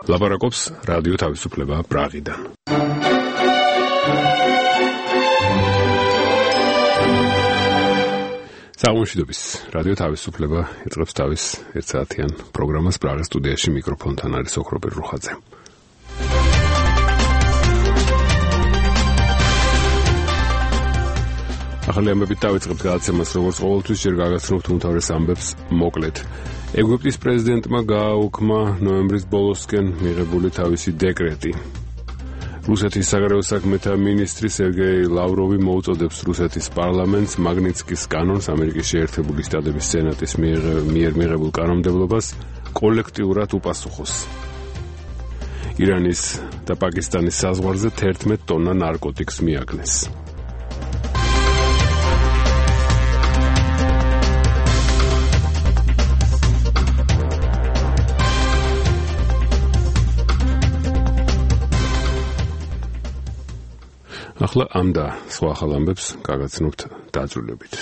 ლაპარაკობს რადიო თავისუფლება პრაღიდან. საუბრობს რადიო თავისუფლება იწყებს თავის ერთსაათიან პროგრამას პრაღის სტუდიაში მიკროფონთან არის ოქრობერ რუხაძე. ახალი ამბებით დავიწყებთ გადაცემას, როგორც ყოველთვის ჯერ გაგაცნობთ უმთავრეს ამბებს მოკლედ. ეგვიპტის პრეზიდენტმა გააუქმა ნოემბრის ბოლოსკენ მიღებული თავისი დეკრეტი. რუსეთის საგარეო საქმეთა მინისტრი სერგეი ლავროვი მოუწოდებს რუსეთის პარლამენტს მაგნიცკის კანონს ამერიკის შეერთებული შტატების სენატის მიერ მიღებულ კანონმდებლობას კოლექტიურად უპასუხოს. ირანის და პაკისტანის საზღვარზე 11 ტონა ნარკოტიკს მიაგნეს. ახლა ამ და სხვა ახალ ამბებს გაგაცნობთ დაძრულებით.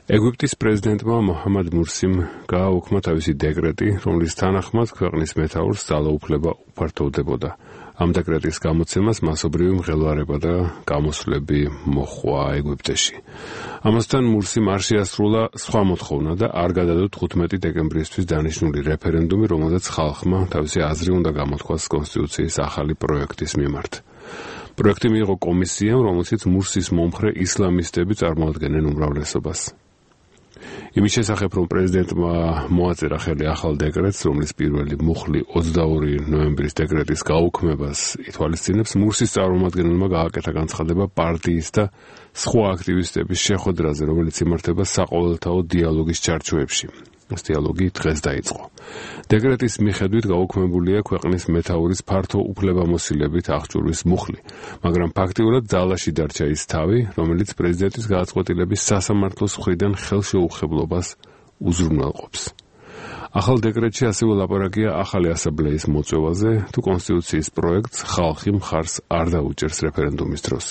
ეგვიპტის პრეზიდენტმა მოჰამად მურსიმ გააუქმა თავისი დეკრეტი, რომლის თანახმად ქვეყნის მეთაურს ძალაუფლება უფართოვდებოდა. ამ დეკრეტის გამოცემას მასობრივი მღელვარება და გამოსვლები მოჰყვა ეგვიპტეში. ამასთან მურსიმ არ შეასრულა სხვა მოთხოვნა და არ გადადო 15 დეკემბრისთვის დანიშნული რეფერენდუმი, რომელზეც ხალხმა თავისი აზრი უნდა გამოთქვას კონსტიტუციის ახალი პროექტის მიმართ. პროექტი მიიღო კომისიამ, რომელშიც მურსის მომხრე ისლამისტები წარმოადგენენ უმრავლესობას. იმის შესახებ, რომ პრეზიდენტმა მოაწერა ხელი ახალ დეკრეტს, რომლის პირველი მუხლი 22 ნოემბრის დეკრეტის გაუქმებას ითვალისწინებს, მურსის წარმომადგენელმა გააკეთა განცხადება პარტიის და სხვა აქტივისტების შეხვედრაზე, რომელიც იმართება საყოველთაო დიალოგის ჩარჩოებში. ეს დიალოგი დღეს დაიწყო. დეკრეტის მიხედვით გაუქმებულია ქვეყნის მეთაურის ფართო უფლებამოსილებით აღჭურვის მუხლი, მაგრამ ფაქტიურად ძალაში დარჩა ის თავი, რომელიც პრეზიდენტის გადაწყვეტილების სასამართლოს მხრიდან ხელშეუხებლობას უზრუნველყოფს. ახალ დეკრეტში ასევე ლაპარაკია ახალი ასამბლეის მოწვევაზე, თუ კონსტიტუციის პროექტს ხალხი მხარს არ დაუჭერს რეფერენდუმის დროს.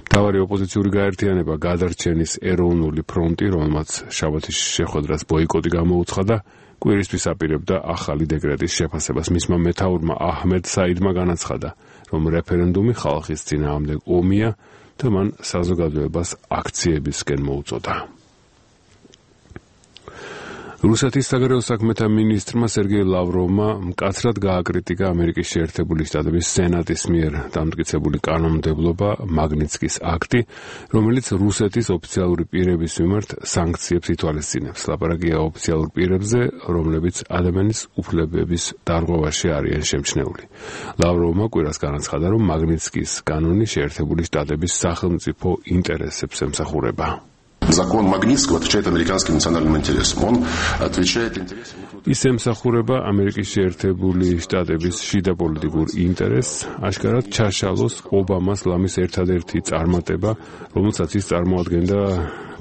მთავარი ოპოზიციური გაერთიანება გადარჩენის ეროვნული ფრონტი, რომელმაც შაბათის შეხვედრას ბოიკოტი გამოუცხადა, კვირისთვის აპირებდა ახალი დეკრეტის შეფასებას. მისმა მეთაურმა აჰმედ საიდმა განაცხადა, რომ რეფერენდუმი ხალხის წინააღმდეგ ომია და მან საზოგადოებას აქციებისკენ მოუწოდა. რუსეთის საგარეო საქმეთა მინისტრმა სერგეი ლავროვმა მკაცრად გააკრიტიკა ამერიკის შეერთებული შტატების სენატის მიერ დამტკიცებული კანონმდებლობა მაგნიცკის აქტი, რომელიც რუსეთის ოფიციალური პირების მიმართ სანქციებს ითვალისწინებს. ლაპარაკია ოფიციალურ პირებზე, რომლებიც ადამიანის უფლებების დარღვევაში არიან შემჩნეული. ლავროვმა კვირას განაცხადა, რომ მაგნიცკის კანონი შეერთებული შტატების სახელმწიფო ინტერესებს ემსახურება. Закон Магнитского отвечает американским национальным интересам. Он отвечает интересам... ის ემსახურება ამერიკის შეერთებული შტატების შიდა პოლიტიკურ ინტერესს, აშკარად ჩაშალოს ობამას ლამის ერთადერთი წარმატება, რომელსაც ის წარმოადგენდა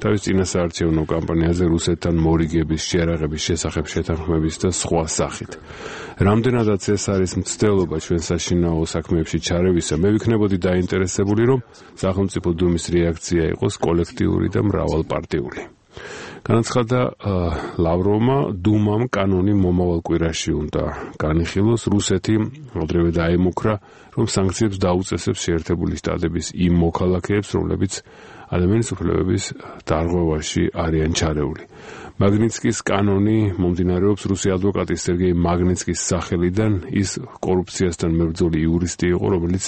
თავის წინასაარჩევნო კამპანიაზე რუსეთთან მორიგების შეერაღების შესახებ შეთანხმების და სხვა სახით. რამდენადაც ეს არის მცდელობა ჩვენ საშინაო საქმეებში ჩარევისა, მე ვიქნებოდი დაინტერესებული, რომ სახელმწიფო დუმის რეაქცია იყოს კოლექტიური და მრავალპარტიული. განაცხადა ლავროვმა, დუმამ კანონი მომავალ კვირაში უნდა განიხილოს. რუსეთი ადრევე დაემუქრა, რომ სანქციებს დაუწესებს შეერთებული შტატების იმ მოქალაქეებს, რომლებიც ადამიანის უფლებების დარღვევაში არიან ჩარეული. მაგნიცკის კანონი მომდინარეობს რუსი ადვოკატის სერგეი მაგნიცკის სახელიდან. ის კორუფციასთან მებრძოლი იურისტი იყო, რომელიც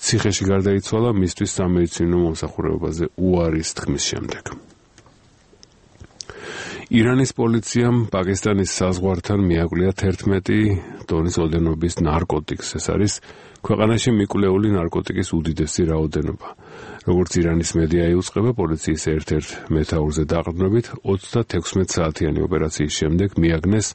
ციხეში გარდაიცვალა მისთვის სამედიცინო მომსახურებაზე უარის თქმის შემდეგ. ირანის პოლიციამ პაკისტანის საზღვართან მიაკვლია 11 ტონის ოდენობის ნარკოტიკს. ეს არის ქვეყანაში მიკვლეული ნარკოტიკის უდიდესი რაოდენობა. როგორც ირანის მედია იუწყება, პოლიციის ერთ-ერთ მეთაურზე დაყრდნობით 36 საათიანი ოპერაციის შემდეგ მიაგნეს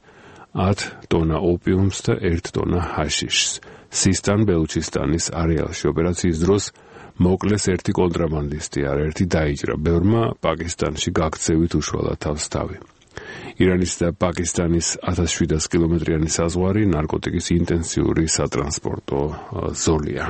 10 ტონა ოპიუმს და 1 ტონა ჰაშიშს. სისტან-ბელუჩისტანის არეალში ოპერაციის დროს მოკლეს ერთი კონტრაბანდისტი, არაერთი დაიჭრა. ბევრმა პაკისტანში გაქცევით უშვალა თავს თავი. ირანის და პაკისტანის 1700 კილომეტრიანი საზღვარი ნარკოტიკის ინტენსიური სატრანსპორტო ზოლია.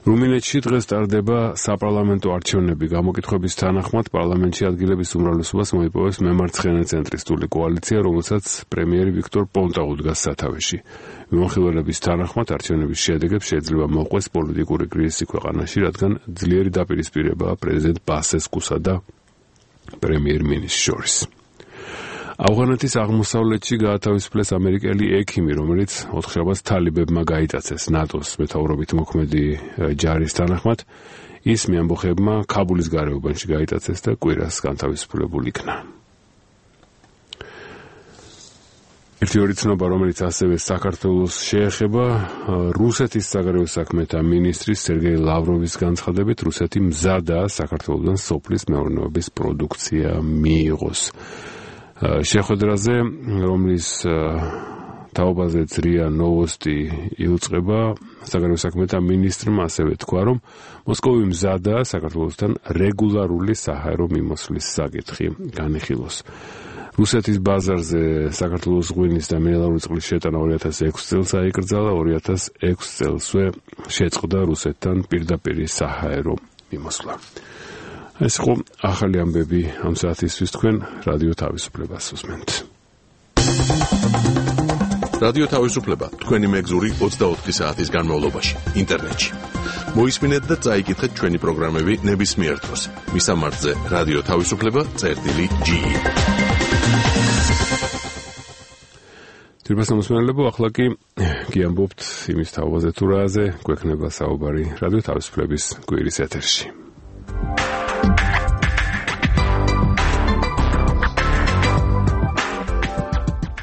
რუმინეთში დღეს ტარდება საპარლამენტო არჩევნები. გამოკითხვების თანახმად პარლამენტში ადგილების უმრავლესობას მოიპოვებს მემარცხენე ცენტრისტული კოალიცია, რომელსაც პრემიერი ვიქტორ პონტა უდგას სათავეში. მიმოხილველების თანახმად არჩევნების შედეგებს შეიძლება მოყვეს პოლიტიკური კრიზისი ქვეყანაში, რადგან ძლიერი დაპირისპირებაა პრეზიდენტ ბასესკუსა და პრემიერ-მინისტრს შორის. ავღანეთის აღმოსავლეთში გაათავისუფლეს ამერიკელი ექიმი, რომელიც ოთხშაბათს თალიბებმა გაიტაცეს ნატოს მეთაურობით მოქმედი ჯარის თანახმად. ის მეამბოხებმა ქაბულის გარეუბანში გაიტაცეს და კვირას განთავისუფლებული იქნა. ერთი ორი ცნობა, რომელიც ასევე საქართველოს შეეხება, რუსეთის საგარეო საქმეთა მინისტრის სერგეი ლავროვის განცხადებით, რუსეთი მზადაა საქართველოდან სოფლის მეურნეობის პროდუქცია მიიღოს. შეხვედრაზე, რომლის თაობაზე ძრია ნოვოსტი იუწყება, საგარეო საქმეთა მინისტრმა ასევე თქვა, რომ მოსკოვი მზადაა საქართველოსთან რეგულარული საჰაერო მიმოსვლის საკითხი განიხილოს. რუსეთის ბაზარზე საქართველოს ღვინის და მინერალური წყლის შეტანა 2006 წელს აიკრძალა, 2006 წელსვე შეწყდა რუსეთთან პირდაპირი საჰაერო მიმოსვლა. ეს იყო ახალი ამბები ამ საათისთვის, თქვენ რადიო თავისუფლებას უსმენთ. რადიო თავისუფლება თქვენი მეგზური 24 საათის განმავლობაში ინტერნეტში. მოისმინეთ და წაიკითხეთ ჩვენი პროგრამები ნებისმიერ დროს. მისამართზე რადიო თავისუფლება.ge. თირბას მოსმენელებო, ახლა კი გიამბობთ იმის თაობაზე თუ რაზე გვექნება საუბარი რადიო თავისუფლების კვირის ეთერში.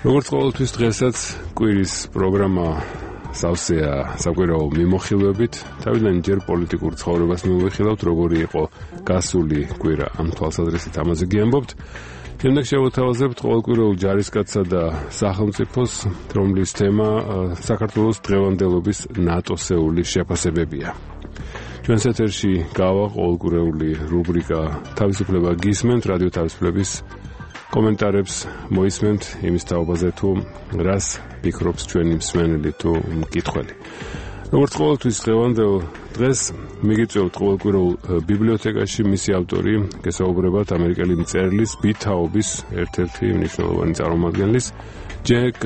როგორც ყოველთვის დღესაც კვირის პროგრამა სავსეა საკვირაო მიმოხილვებით. თავიდან ჯერ პოლიტიკურ ცხოვრებას მივიხილავთ, როგორი იყო გასული კვირა ამ თვალსაზრისით ამაზე გიამბობთ. შემდეგ შევთავაზებთ ყოველკვირეულ ჯარისკაცსა და სახელმწიფოს, რომლის თემა საქართველოს დღევანდელობის ნატოსეული შეფასებებია. ჩვენს ეთერში გავა ყოველკვირეული რუბრიკა თავისუფლება გისმენთ, რადიო თავისუფლების კომენტარებს მოისმენთ იმის თაობაზე, თუ რას ფიქრობს ჩვენი მსმენელი თუ მკითხველი. როგორც ყოველთვის დღევანდელ დღეს მიგიწევთ ყოველკვირეულ ბიბლიოთეკაში მისი ავტორი, გესაუბრებათ ამერიკელი მწერლის ბითაობის ერთ-ერთი მნიშვნელოვანი წარმომადგენლის ჯეკ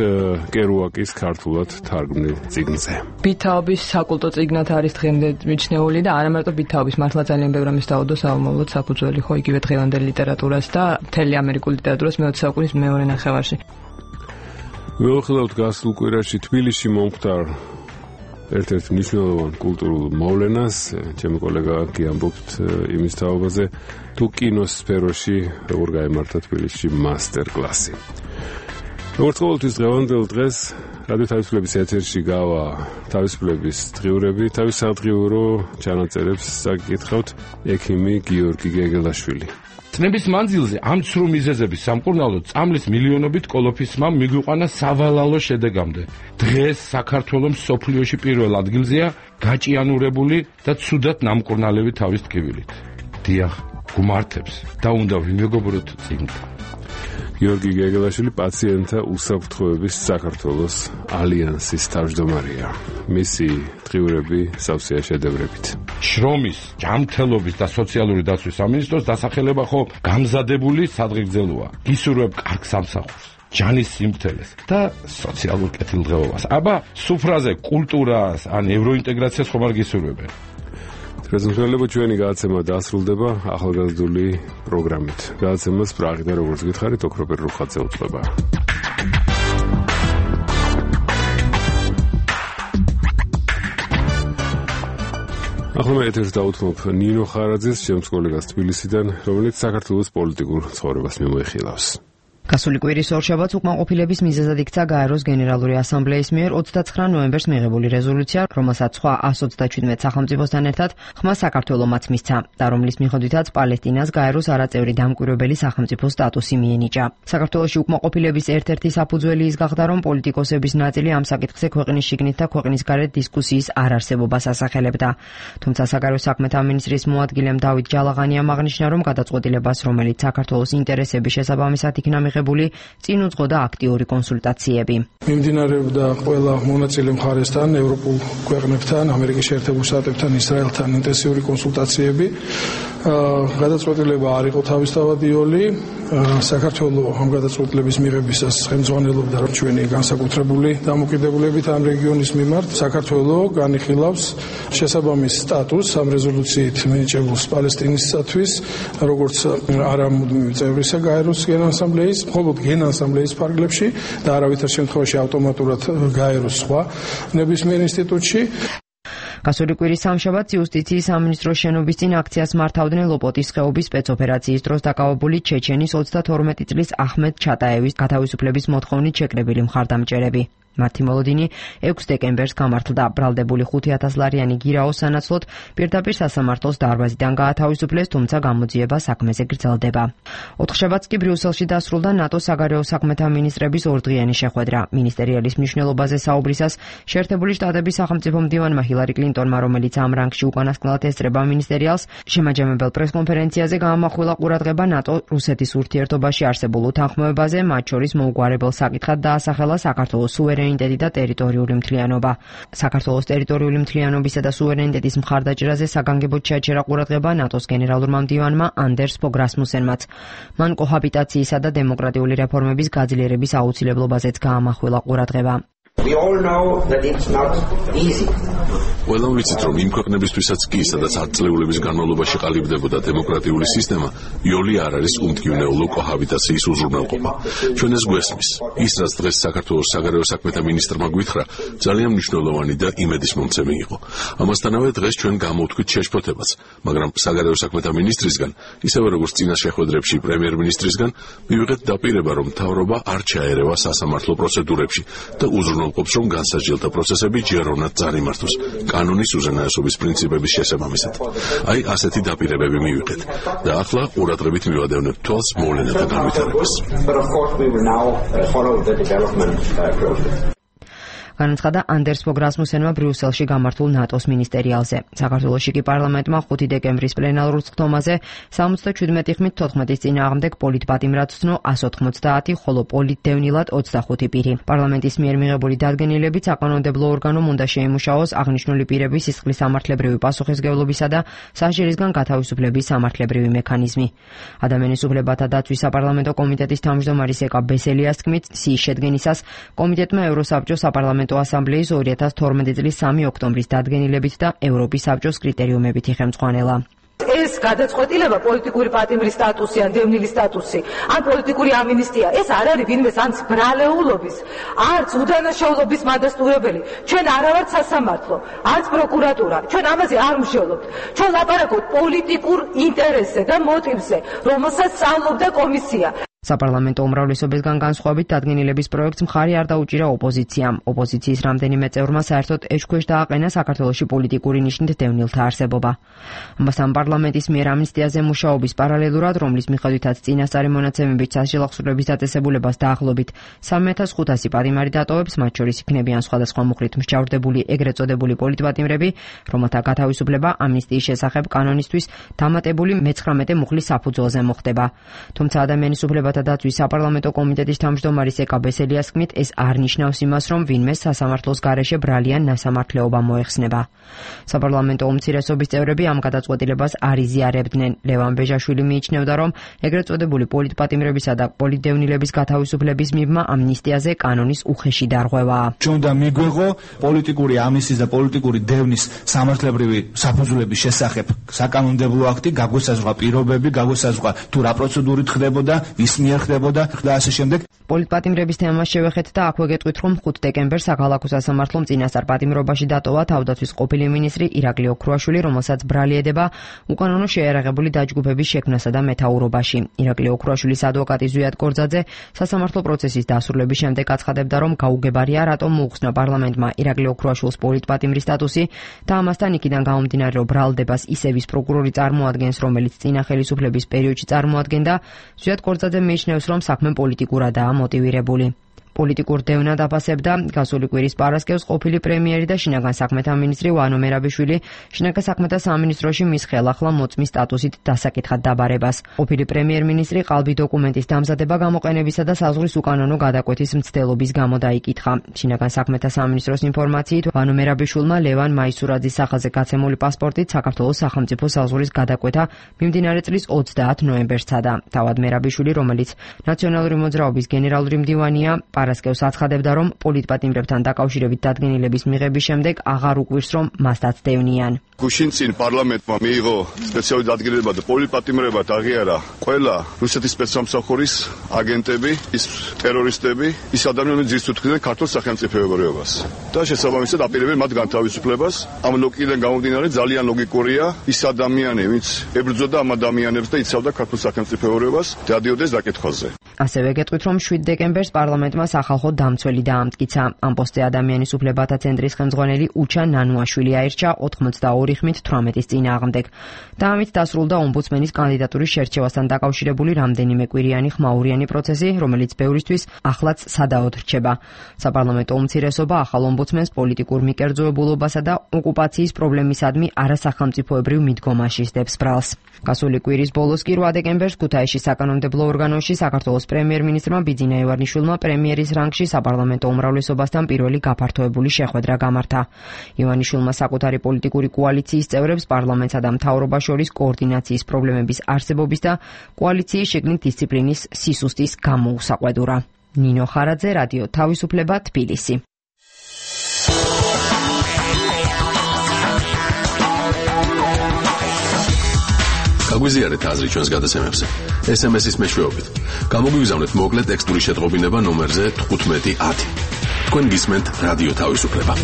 კერუაკის ქართულად თარგმნილ წიგნზე. ბითაობის საკულტო წიგნად არის დღემდე მიჩნეული და არა მარტო ბითაობის, მართლა ძალიან ბევრი ამის დაუდო საომავლოდ საფუძველი ხო იგივე დღევანდელ ლიტერატურას და მთელი ამერიკული ლიტერატურას მე-20 საუკუნის მეორე ნახევარში. მივახილავთ გასულ კვირაში თბილისში მომხდარ ერთ-ერთ მნიშვნელოვან კულტურულ მოვლენას. ჩემი კოლეგა გიამბობთ იმის თაობაზე, თუ კინოს სფეროში როგორ გაემართა თბილისში მასტერ-კლასი. როგორც ყოველთვის დღევანდელ დღეს რადიო თავისუფლების ეთერში გავა თავისუფლების დღიურები. თავის სადღიურო ჩანაწერებს საკითხავთ ექიმი გიორგი გეგელაშვილი. წნების მანძილზე ამ ცრუ მიზეზების სამკურნალოდ წამლის მილიონობით კოლოფისმა მიგვიყვანა სავალალო შედეგამდე. დღეს საქართველოს მსოფლიოში პირველ ადგილზეა გაჭიანურებული და ცუდად ნამკურნალები თავის ტკივილით. დიახ, გუმართებს და უნდა ვიმეგობროთ წიგნთან. გიორგი გეგელაშვილი პაციენტთა უსაფრთხოების საქართველოს ალიანსის თავმჯდომარეა. მისი დღიურები სავსეა შედევრებით. შრომის, ჯანმრთელობის და სოციალური დაცვის სამინისტროს დასახელება ხო გამზადებული სადღეგრძელოა. გისურვებ კარგ სამსახურს, ჯანის სიმართლეს და სოციალურ კეთილდღეობას. აბა, სუფრაზე კულტურას ან ევროინტეგრაციას ხომ არ გისურვებენ? პრეზენტებო ჩვენი გადაცემა დასრულდება ახალგაზრდული პროგრამით. გადაცემას პრაღიდან როგორც გითხარით, ოქროპერ რუხაძე უწყება. ახლა მე ეთერს დავუთმობ ნინო ხარაძეს, ჩემს კოლეგას თბილისიდან, რომელიც საქართველოს პოლიტიკურ ცხოვრებას მიმოიხილავს. გასული კვირის ორშაბათს უკმაყოფილების მიზეზად იქცა გაეროს გენერალური ასამბლეის მიერ 29 ნოემბერს მიღებული რეზოლუცია, რომელსაც სხვა 127 სახელმწიფოსთან ერთად ხმა საქართველომაც მისცა და რომლის მიხედვითაც პალესტინას გაეროს არაწევრი დამკვირვებელი სახელმწიფოს სტატუსი მიენიჭა. საქართველოში უკმაყოფილების ერთ-ერთი საფუძველი ის გახდა, რომ პოლიტიკოსების ნაწილი ამ საკითხზე ქვეყნის შიგნით და ქვეყნის გარეთ დისკუსიის არარსებობას ასახელებდა. თუმცა საგარეო საქმეთა მინისტრის მოადგილემ დავით ჯალაღანიამ აღნიშნა, რომ გადაწყვეტილებას, რომელიც საქართველოს ინტერესების შესაბამისად იქნა მიღებული წინ უძღოდა აქტიური კონსულტაციები. მიმდინარეობდა ყველა მონაწილე მხარესთან, ევროპულ ქვეყნებთან, ამერიკის შეერთებულ შტატებთან, ისრაელთან ინტენსიური კონსულტაციები. გადაწყვეტილება არ იყო თავისთავადიოლი. საქართველოს ამ გადაწყვეტილების მიღებისას ხელმძღვანელობდა ჩვენი განსაკუთრებული დამოკიდებულებით ამ რეგიონის მიმართ. საქართველოს განიხილავს შესაბამის სტატუსს ამ რეზოლუციით მინიჭებულს პალესტინისათვის, როგორც არამუდმივი წევრისა გაეროს გენასამბლეის, მხოლოდ გენასამბლეის ფარგლებში და არავითარ შემთხვევაში ავტომატურად გაეროს სხვა ნებისმიერ ინსტიტუტში. გასული კვირის სამშაბათს იუსტიციის სამინისტროს შენობის წინ აქციას მართავდნენ ლოპოტის ხეობის სპეცოპერაციის დროს დაკავებული ჩეჩენის 32 წლის აჰმედ ჩატაევის გათავისუფლების მოთხოვნით შეკრებილი მხარდამჭერები. მათი მოლოდინი 6 დეკემბერს გამართლდა. ბრალდებული 5,000 ლარიანი გირაოს სანაცვლოდ პირდაპირ სასამართლოს დარბაზიდან გაათავისუფლეს, თუმცა გამოძიება საქმეზე გრძელდება. 4 შაბათს კი ბრიუსელში დასრულდა ნატოს საგარეო საქმეთა მინისტრების ორდღიანი შეხვედრა. მინისტერიალის მნიშვნელობაზე საუბრისას შეერთებული შტატების სახელმწიფო მდივანმა ჰილარი კლინტონმა, რომელიც ამ რანგში უკანასკნელად ესწრება მინისტერიალს, შემაჯამებელ პრესკონფერენციაზე გაამახვილა ყურადღება ნატო-რუსეთის ურთიერთობაში არსებულ უთანხმოებაზე, მათ შორის მოუგვარებელ საკითხად დაასახელა საქართველოს სუვერენიტეტი და ტერიტორიული მთლიანობა. საქართველოს ტერიტორიული მთლიანობისა და სუვერენიტეტის მხარდაჭერაზე საგანგებოდ შეაჩერა ყურადღება ნატოს გენერალურმა მდივანმა ანდერს ფოგ რასმუსენმაც. მან კოჰაბიტაციისა და დემოკრატიული რეფორმების გაძლიერების აუცილებლობაზეც გაამახვილა ყურადღება. We all know that it's not easy. Ყველამ ვიცით, რომ იმ ქვეყნებისთვისაც კი, სადაც ათწლეულების განმავლობაში ყალიბდებოდა დემოკრატიული სისტემა, იოლი არ არის უმტკივნეულო კოჰაბიტაციის უზრუნველყოფა. ჩვენ ეს გვესმის. ის, რაც დღეს საქართველოს საგარეო საქმეთა მინისტრმა გვითხრა, ძალიან მნიშვნელოვანი და იმედისმომცემი იყო. ამასთანავე დღეს ჩვენ გამოვთქვით შეშფოთებას, მაგრამ საგარეო საქმეთა მინისტრისგან, ისევე როგორც წინა შეხვედრებში პრემიერ-მინისტრისგან, მივიღეთ დაპირება, რომ მთავრობა არ ჩაერევა სასამართლო პროცედურებში და უზრუნველყოფს, რომ განსაჯელთა პროცესები ჯეროვნად წარიმართოს. კანონის უზენაესობის პრინციპების შესაბამისად. აი ასეთი დაპირებები მივიღეთ და ახლა ყურადღებით მივადევნებთ თვალს მოვლენათა განვითარებას. განაცხადა ანდერს ფოგ რასმუსენმა ბრიუსელში გამართულ ნატოს მინისტერიალზე. საქართველოში კი პარლამენტმა 5 დეკემბრის პლენარულ სხდომაზე 77 ხმით 14-ის წინააღმდეგ პოლიტპატიმრად ცნო 190, ხოლო პოლიტდევნილად 25 პირი. პარლამენტის მიერ მიღებული დადგენილებიც საკანონმდებლო ორგანომ უნდა შეიმუშაოს აღნიშნული პირების სისხლის სამართლებრივი პასუხისმგებლობისა და სასჯელისგან გათავისუფლების სამართლებრივი მექანიზმი. ადამიანის უფლებათა დაცვის საპარლამენტო კომიტეტის თავმჯდომარის ეკა ბესელიას თქმით, სიის შედგენისას კომიტეტმა ევროსაბჭოს საპარლამენტო ასამბლეის 2012 წლის 3 ოქტომბრის დადგენილებით და ევროპის საბჭოს კრიტერიუმებით იხელმძღვანელა. ეს გადაწყვეტილება პოლიტიკური პატიმრის სტატუსი ან დევნილის სტატუსი ან პოლიტიკური ამინისტია ეს არ არის ვინმეს ან ბრალეულობის არც უდანაშაულობის მადასტურებელი. ჩვენ არ ვართ სასამართლო, არც პროკურატურა. ჩვენ ამაზე არ ვმშევლობთ. ჩვენ ლაპარაკობთ პოლიტიკურ ინტერესზე და მოტივზე, რომელსაც სწავლობდა კომისია. საპარლამენტო უმრავლესობისგან განსხვავებით დადგენილების პროექტს მხარი არ დაუჭირა ოპოზიციამ. ოპოზიციის რამდენიმე წევრმა საერთოდ ეჭქვეშ დააყენა საქართველოში პოლიტიკური ნიშნით დევნილთა არსებობა. ამასთან პარლამენტის მიერ ამნისტიაზე მუშაობის პარალელურად, რომლის მიხედვითაც წინასწარი მონაცემებით სასჯელ აღსრულების დაწესებულებას დაახლოებით 3500 პატიმარი დატოვებს, მათ შორის იქნებიან სხვადასხვა მუხლით მსჯავრდებული ეგრეთ წოდებული პოლიტპატიმრები, რომელთა გათავისუფლება ამნისტიის შესახებ კანონისთვის დამატებული მე-19 მუხლის საფუძველზე მოხდება. თუმცა ადამიანის უფლებათა დაცვის საპარლამენტო კომიტეტის თავმჯდომარის ეკა ბესელიას თქმით, ეს არ ნიშნავს იმას, რომ ვინმე სასამართლოს გარეშე ბრალიან ნასამართლეობა მოეხსნება. საპარლამენტო უმცირესობის წევრები ამ გადაწყვეტილებას არ იზიარებდნენ. ლევან ბეჟაშვილი მიიჩნევდა, რომ ეგრეთ წოდებული პოლიტპატიმრებისა და პოლიტდევნილების გათავისუფლების მიბმა ამნისტიაზე კანონის უხეში დარღვევაა. ჩვენ უნდა მიგვეღო პოლიტიკური ამნისტიის და პოლიტიკური დევნის სამართლებრივი საფუძვლების შესახებ საკანონმდებლო აქტი, გაგვესაზღვრა პირობები, გაგვესაზღვრა თუ რა პროცედურით ხდებოდა, ვის მიერ ხდებოდა და ასე შემდეგ. პოლიტპატიმრების თემას შევეხეთ და აქვე გეტყვით, რომ 5 დეკემბერს საქალაქო სასამართლომ წინასწარ პატიმრობაში დატოვა თავდაცვის ყოფილი მინისტრი ირაკლი ოქრუაშვილი, რომელსაც ბრალი ედება უკანონო შეიარაღებული დაჯგუფების შექმნასა და მეთაურობაში. ირაკლი ოქრუაშვილის ადვოკატი ზვიად კორძაძე სასამართლო პროცესის დასრულების შემდეგ აცხადებდა, რომ გაუგებარია რატომ მოუხსნა პარლამენტმა ირაკლი ოქრუაშვილს პოლიტპატიმრის სტატუსი და ამასთან იქიდან გამომდინარე, რომ ბრალდებას ისევის პროკურორი წარმოადგენს, რომელიც წინა ხელისუფლების პერიოდში წარმოადგენდა. ზვიად კორძაძე მიიჩნევს, რომ საქმე პოლიტიკურადაა მოტივირებული. პოლიტიკურ დევნად აფასებდა გასული კვირის პარასკევს ყოფილი პრემიერი და შინაგან საქმეთა მინისტრი ვანო მერაბიშვილი შინაგან საქმეთა სამინისტროში მის ხელახლა მოწმის სტატუსით დასაკითხად დაბარებას. ყოფილი პრემიერ-მინისტრი ყალბი დოკუმენტის დამზადება გამოყენებისა და საზღვრის უკანონო გადაკვეთის მცდელობის გამო დაიკითხა. შინაგან საქმეთა სამინისტროს ინფორმაციით ვანო მერაბიშვილმა ლევან მაისურაძის სახაზე გაცემული პასპორტით საქართველოს სახელმწიფო საზღვრის გადაკვეთა მიმდინარე წლის 30 ნოემბერს სცადა. თავად მერაბიშვილი, რომელიც ნაციონალური მოძრაობის გენერალური მდივანია, პარასკევს აცხადებდა, რომ პოლიტპატიმრებთან დაკავშირებით დადგენილების მიღების შემდეგ აღარ უკვირს, რომ მასთან დევნიან. გუშინ წინ პარლამენტმა მიიღო სპეციალური დადგენილება და პოლიტპატიმრებად აღიარა ყველა რუსეთის სპეცსამსახურის აგენტები, ის ტერორისტები, ის ადამიანები ძირს უთხრდნენ ქართულ სახელმწიფოებრიობას. და შესაბამისად აპირებენ მათ განთავისუფლებას. ამ ლოგიკიდან გამომდინარე ძალიან ლოგიკურია ის ადამიანი, ვინც ებრძოდა ამ ადამიანებს და იცავდა ქართულ სახელმწიფოებრიობას, დადიოდეს დაკითხვაზე. ასევე გეტყვით, რომ 7 დეკემბერს პარლამენტმა სახალხო დამცველი დაამტკიცა. ამ პოსტზე ადამიანის უფლებათა ცენტრის ხელმძღვანელი უჩა ნანუაშვილი აირჩა 82 ხმით 18-ის წინააღმდეგ. და ამით დასრულდა ომბუდსმენის კანდიდატურის შერჩევასთან დაკავშირებული რამდენიმე კვირიანი ხმაურიანი პროცესი, რომელიც ბევრისთვის ახლაც სადაოდ რჩება. საპარლამენტო უმცირესობა ახალ ომბუდსმენს პოლიტიკურ მიკერძოებულობასა და ოკუპაციის პრობლემისადმი არასახელმწიფოებრივ მიდგომაში სდებს ბრალს. გასული კვირის ბოლოს კი 8 დეკემბერს ქუთაისში საკანონმდებლო ორგანოში საქართველოს პრემიერ-მინისტრმა ბიძინა ივანიშვილმა პრემიერის რანგში საპარლამენტო უმრავლესობასთან პირველი გაფართოებული შეხვედრა გამართა. ივანიშვილმა საკუთარი პოლიტიკური კოალიციის წევრებს პარლამენტსა და მთავრობას შორის კოორდინაციის პრობლემების არსებობის და კოალიციის შიგნით დისციპლინის სისუსტის გამოუსაყვედურა. ნინო ხარაძე, რადიო თავისუფლება, თბილისი. გაგვიზიარეთ აზრი ჩვენს გადაცემებზე. SMS-ის მეშვეობით. გამოგვიგზავნეთ მოკლე ტექსტური შეტყობინება ნომერზე 1510. თქვენ გისმენთ რადიო თავისუფლება.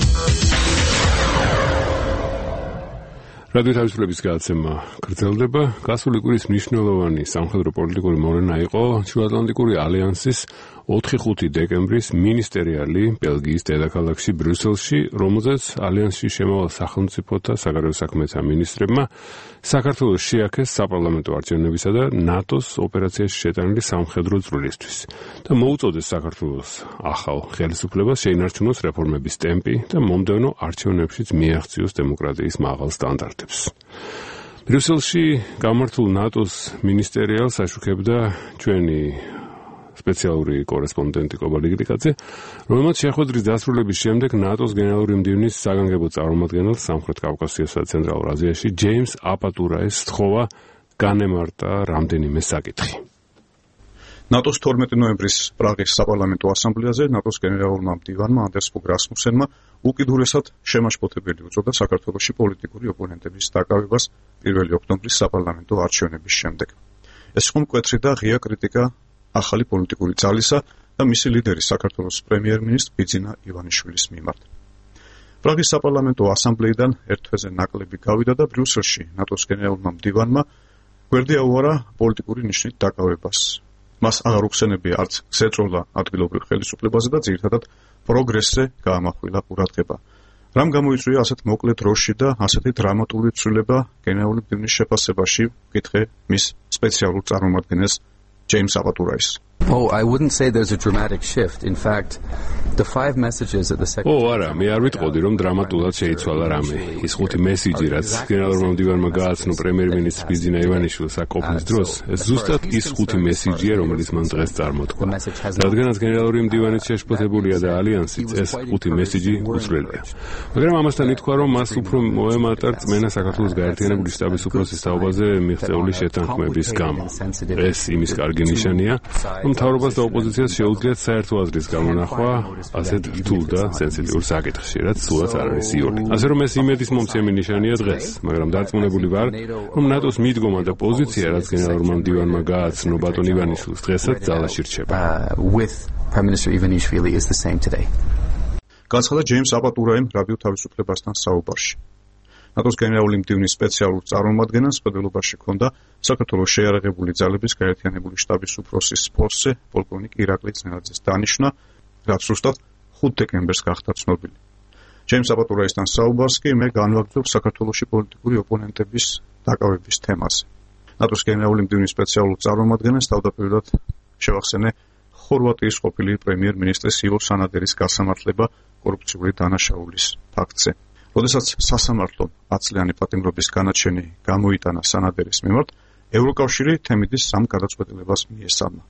რადიო თავისუფლების გადაცემა გრძელდება. გასული კვირის მნიშვნელოვანი სამხედრო პოლიტიკური მოვლენა იყო შუაატლანტიკური ალიანსის 4-5 დეკემბრის მინისტერიალი ბელგიის დედაქალაქში ბრიუსელში, რომელზეც ალიანსში შემავალ სახელმწიფოთა საგარეო საქმეთა მინისტრებმა საქართველოს შეაქეს საპარლამენტო არჩევნებისა და ნატოს ოპერაციაში შეტანილი სამხედრო წვლილისთვის და მოუწოდეს საქართველოს ახალ ხელისუფლებას შეინარჩუნოს რეფორმების ტემპი და მომდევნო არჩევნებშიც მიაღწიოს დემოკრატიის მაღალ სტანდარტებს. ბრიუსელში გამართულ ნატოს მინისტერიალს აშუქებდა ჩვენი სპეციალური კორესპონდენტი კობალი გრიკაძე, რომელმაც შეხვედრის დასრულების შემდეგ ნატოს გენერალური მდივნის საგანგებო წარმომადგენელს სამხრეთ კავკასიასა და ცენტრალურ აზიაში ჯეიმს აპატურაის სთხოვა განემარტა რამდენიმე საკითხი. ნატოს 12 ნოემბრის პრაღის საპარლამენტო ასამბლეაზე ნატოს გენერალურმა მდივანმა ანდერს ფოგ რასმუსენმა უკიდურესად შემაშფოთებელი უწოდა საქართველოში პოლიტიკური ოპონენტების დაკავებას 1 ოქტომბრის საპარლამენტო არჩევნების შემდეგ. ეს იყო მკვეთრი და ღია კრიტიკა ახალი პოლიტიკური ძალისა და მისი ლიდერის საქართველოს პრემიერ-მინისტრ ბიძინა ივანიშვილის მიმართ. პრაღის საპარლამენტო ასამბლეიდან ერთ თვეზე ნაკლები გავიდა და ბრიუსელში ნატოს გენერალურმა მდივანმა გვერდი აუარა პოლიტიკური ნიშნით დაკავებას. მას აღარ უხსენებია არც გზეწოლა ადგილობრივ ხელისუფლებაზე და ძირითადად პროგრესზე გაამახვილა ყურადღება. რამ გამოიწვია ასეთ მოკლე დროში და ასეთი დრამატული ცვლილება გენერალური მდივნის შეფასებაში, ვკითხე მის სპეციალურ წარმომადგენელს James Apaturais. Oh, I wouldn't say there's a dramatic shift. In fact, the 5 messages that the secretary არა, მე არ ვიტყოდი, რომ დრამატულად შეიცვალა რამე. ის 5 მესიჯი, რაც გენერალურმა მდივანმა გააცნო პრემიერ-მინისტრ ბიძინა ივანიშვილს აკოპნის დროს, ეს ზუსტად ის 5 მესიჯია, რომელიც მან დღეს წარმოთქვა. რადგანაც გენერალური მდივანიც შეშფოთებულია და ალიანსიც, ეს 5 მესიჯი უცვლელია. მაგრამ ამასთან ითქვა, რომ მას უფრო მოემატა რწმენა საქართველოს გაერთიანებული შტაბის უფროსის თაობაზე მიღწეული შეთანხმების გამო. ეს იმის კარგი ნიშანია, რომ მთავრობას და ოპოზიციას შეუძლიათ საერთო აზრის გამონახვა ასეთ რთულ და სენსიტიურ საკითხში, რაც სულაც არ არის იული. ასე რომ ეს იმედის მომცემი ნიშანია დღეს, მაგრამ დარწმუნებული ვარ, რომ ნატოს მიდგომა და პოზიცია, რაც გენერალურმა მდივანმა გააცნო ბატონ ივანიშვილს, დღესაც ძალაში რჩება. გაცხადა ჯეიმს აპატურაიმ რადიო თავისუფლებასთან საუბარში. ნატოს გენერალური მდივნის სპეციალურ წარმომადგენელს მხედველობაში ჰქონდა საქართველოს შეიარაღებული ძალების გაერთიანებული შტაბის უფროსის პოსტზე პოლკოვნიკ ირაკლი ძნელაძის დანიშვნა, რაც ზუსტად 5 დეკემბერს გახდა ცნობილი. ჯეიმს აპატურაისთან საუბარს კი მე განვაგრძობ საქართველოში პოლიტიკური ოპონენტების დაკავების თემაზე. ნატოს გენერალური მდივნის სპეციალურ წარმომადგენელს თავდაპირველად შევახსენე ხორვატიის ყოფილი პრემიერ-მინისტრის ივო სანადერის გასამართლება კორუფციული დანაშაულის ფაქტზე. როდესაც სასამართლომ 10 წლიანი პატიმრობის განაჩენი გამოიტანა სანადერის მიმართ, ევროკავშირი თემიდის 3 გადაწყვეტილებას მიესალმა.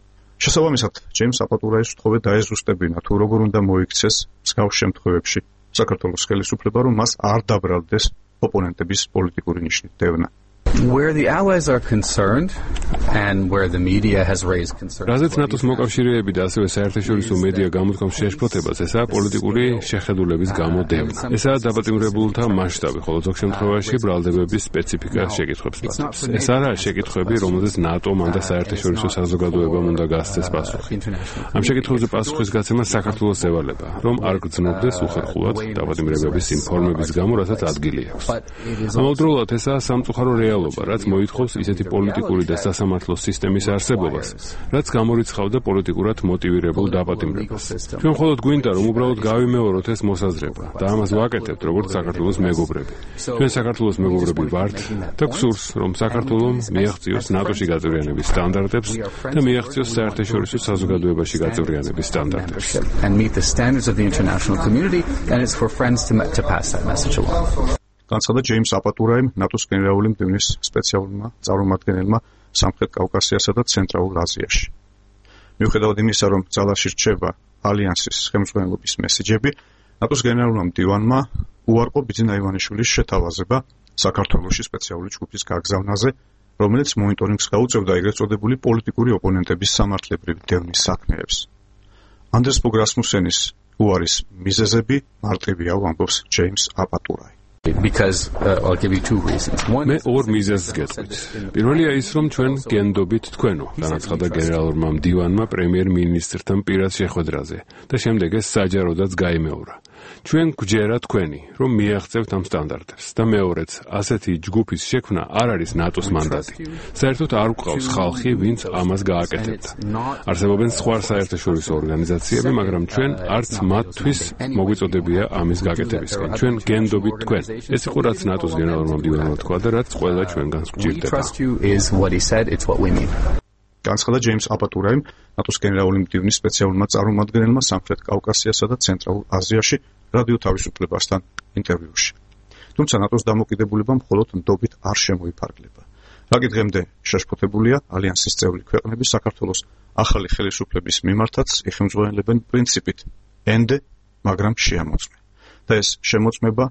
შესაბამისად, ჯეიმს აპატურაის უთხოვე დაეზუსტებინა თუ როგორ უნდა მოიქცეს მსგავს შემთხვევებში საქართველოს ხელისუფლება, რომ მას არ დაბრალდეს ოპონენტების პოლიტიკური ნიშნით დევნა. Where the allies are concerned and where the media has raised concerns. რაზეც ნატოს მოკავშირეები და ასევე საერთაშორისო მედია გამოთქვამს შეშფოთებას, ესაა პოლიტიკური შეხედულების გამოდევნა. ესაა დაპატიმრებულთა მასშტაბი, ხოლო ზოგ შემთხვევაში ბრალდებების სპეციფიკა შეკითხვებს პატევს. ეს არაა შეკითხვები, რომელზეც ნატომ ან საერთაშორისო საზოგადოებამ უნდა გასცეს პასუხი. ამ შეკითხვებზე პასუხის გაცემა საქართველოს ევალება, რომ არ გრძნობდეს უხერხულად დაპატიმრებების ინფორმების გამო, რასაც ადგილი აქვს. ამავდროულად ესაა სამწუხარო რეალობა, რაც მოითხოვს ისეთი პოლიტიკური და სასამართლო სისტემის არსებობას, რაც გამორიცხავდა პოლიტიკურად მოტივირებულ დაპატიმრებას. ჩვენ მხოლოდ გვინდა, რომ უბრალოდ გავიმეოროთ ეს მოსაზრება და ამას ვაკეთებთ, როგორც საქართველოს მეგობრები. ჩვენ საქართველოს მეგობრები ვართ და გსურს, რომ საქართველოს მიაღწიოს ნატოში გაწევრიანების სტანდარტებს და მიაღწიოს საერთაშორისო საზოგადოებაში გაწევრიანების სტანდარტებს. განცხადა ჯეიმს აპატურაიმ, ნატოს გენერალური მდივნის სპეციალურმა წარმომადგენელმა სამხრეთ კავკასიასა და ცენტრალურ აზიაში. მიუხედავად იმისა, რომ ძალაში რჩება ალიანსის ხელმძღვანელობის მესიჯები, ნატოს გენერალურმა მდივანმა უარყო ბიძინა ივანიშვილის შეთავაზება საქართველოში სპეციალური ჯგუფის გაგზავნაზე, რომელიც მონიტორინგს გაუწევდა ეგრეთ წოდებული პოლიტიკური ოპონენტების სამართლებრივი დევნის საქმეებს. ანდრეს ბოგ რასმუსენის უარის მიზეზები მარტივია, ამბობს ჯეიმს აპატურაი. Because I'll give you two reasons. მე ორ მიზეზს გეტყვით. პირველია ის, რომ ჩვენ გენდობით თქვენო, განაცხადა გენერალურმა მდივანმა პრემიერ-მინისტრთან პირად შეხვედრაზე და შემდეგ ეს საჯაროდაც გაიმეორა. ჩვენ გვჯერა თქვენი, რომ მიაღწევთ ამ სტანდარტებს და მეორეც, ასეთი ჯგუფის შექმნა არ არის ნატოს მანდატი. საერთოდ არ გვყავს ხალხი, ვინც ამას გააკეთებდა. არსებობენ სხვა საერთაშორისო ორგანიზაციები, მაგრამ ჩვენ არც მათთვის მოგვიწოდებია ამის გაკეთებისკენ. ჩვენ გენდობით თქვენ. ეს იყო რაც ნატოს გენერალურმა მდივანმა თქვა და რაც ყველა ჩვენგანს გვჭირდება. განცხადა ჯეიმს აპატურაიმ, ნატოს გენერალური მდივნის სპეციალურმა წარმომადგენელმა სამხრეთ კავკასიასა და ცენტრალურ აზიაში რადიო თავისუფლებასთან ინტერვიუში. თუმცა ნატოს დამოკიდებულება მხოლოდ ნდობით არ შემოიფარგლება. რაგი დღემდე შეშფოთებულია ალიანსის წევრი ქვეყნები საქართველოს ახალი ხელისუფლების მიმართაც იხელმძღვანელებენ პრინციპით ენდე, მაგრამ შეამოწმე. და ეს შემოწმება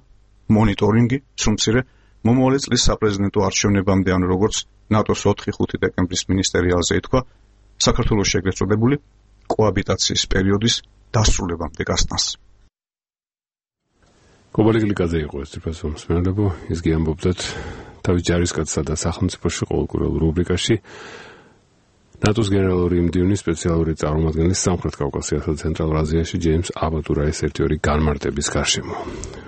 მონიტორინგი, სრულმცირე მომავალი წლის საპრეზიდენტო არჩევნებამდე, ანუ როგორც ნატოს 4-5 დეკემბრის მინისტერიალზე ითქვა, საქართველოში ეგრეთ წოდებული კოაბიტაციის პერიოდის დასრულებამდე გასტანს. კობალი გლიკაძე იყო ეს პროფესორი მსმენელებო, ის გიამბობდათ თავის ჯარისკაცსა და სახელმწიფოში ყოველკვირეულ რუბრიკაში ნატოს გენერალური მდივნის სპეციალური წარმომადგენლის სამხრეთ კავკასიასა და ცენტრალურ აზიაში ჯეიმს აპატურაის ერთი-ორი განმარტების გარშემო.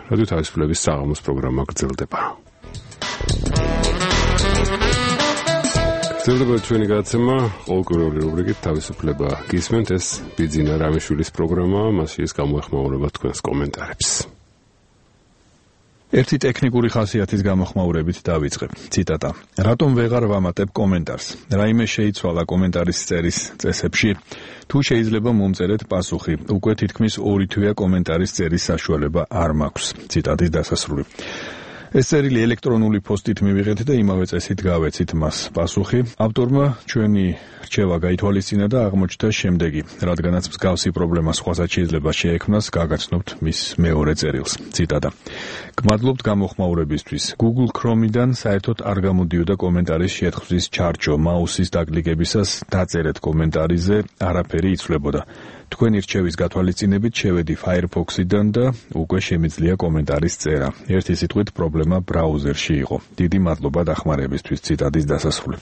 რადიო თავისუფლების საღამოს პროგრამა გრძელდება. გრძელდება ჩვენი გადაცემა ყოველკვირეული რუბრიკით თავისუფლება გისმენთ, ეს ბიძინა რამიშვილის პროგრამაა, მასში ის გამოეხმაურება თქვენს კომენტარებს. ერთი ტექნიკური ხასიათის გამოხმაურებით დავიწყებ. ციტატა. რატომ ვეღარ ვამატებ კომენტარს? რაიმე შეიცვალა კომენტარის წერის წესებში? თუ შეიძლება მომწერეთ პასუხი. უკვე თითქმის 2 თვეა კომენტარის წერის საშუალება არ მაქვს. ციტატის დასასრული. ეს წერილი ელექტრონული პოსტით მივიღეთ და იმავე წესით გავეცით მას პასუხი. ავტორმა ჩვენი რჩევა გაითვალისწინა და აღმოჩნდა შემდეგი, რადგანაც მსგავსი პრობლემა სხვასაც შეიძლება შეექმნას, გაგაცნობთ მის მეორე წერილს. ციტატა. გმადლობთ გამოხმაურებისთვის. Google Chrome-დან საერთოდ არ გამოდიოდა კომენტარის შეთხზვის ჩარჩო. მაუსის დაკლიკებისას დაწერეთ კომენტარიზე, არაფერი იცვლებოდა. თქვენი რჩევის გათვალისწინებით შევედი Firefox-დან და უკვე შემიძლია კომენტარის წერა. ერთი სიტყვით პრობლემა ბრაუზერში იყო. დიდი მადლობა დახმარებისთვის. ციტატის დასასრული.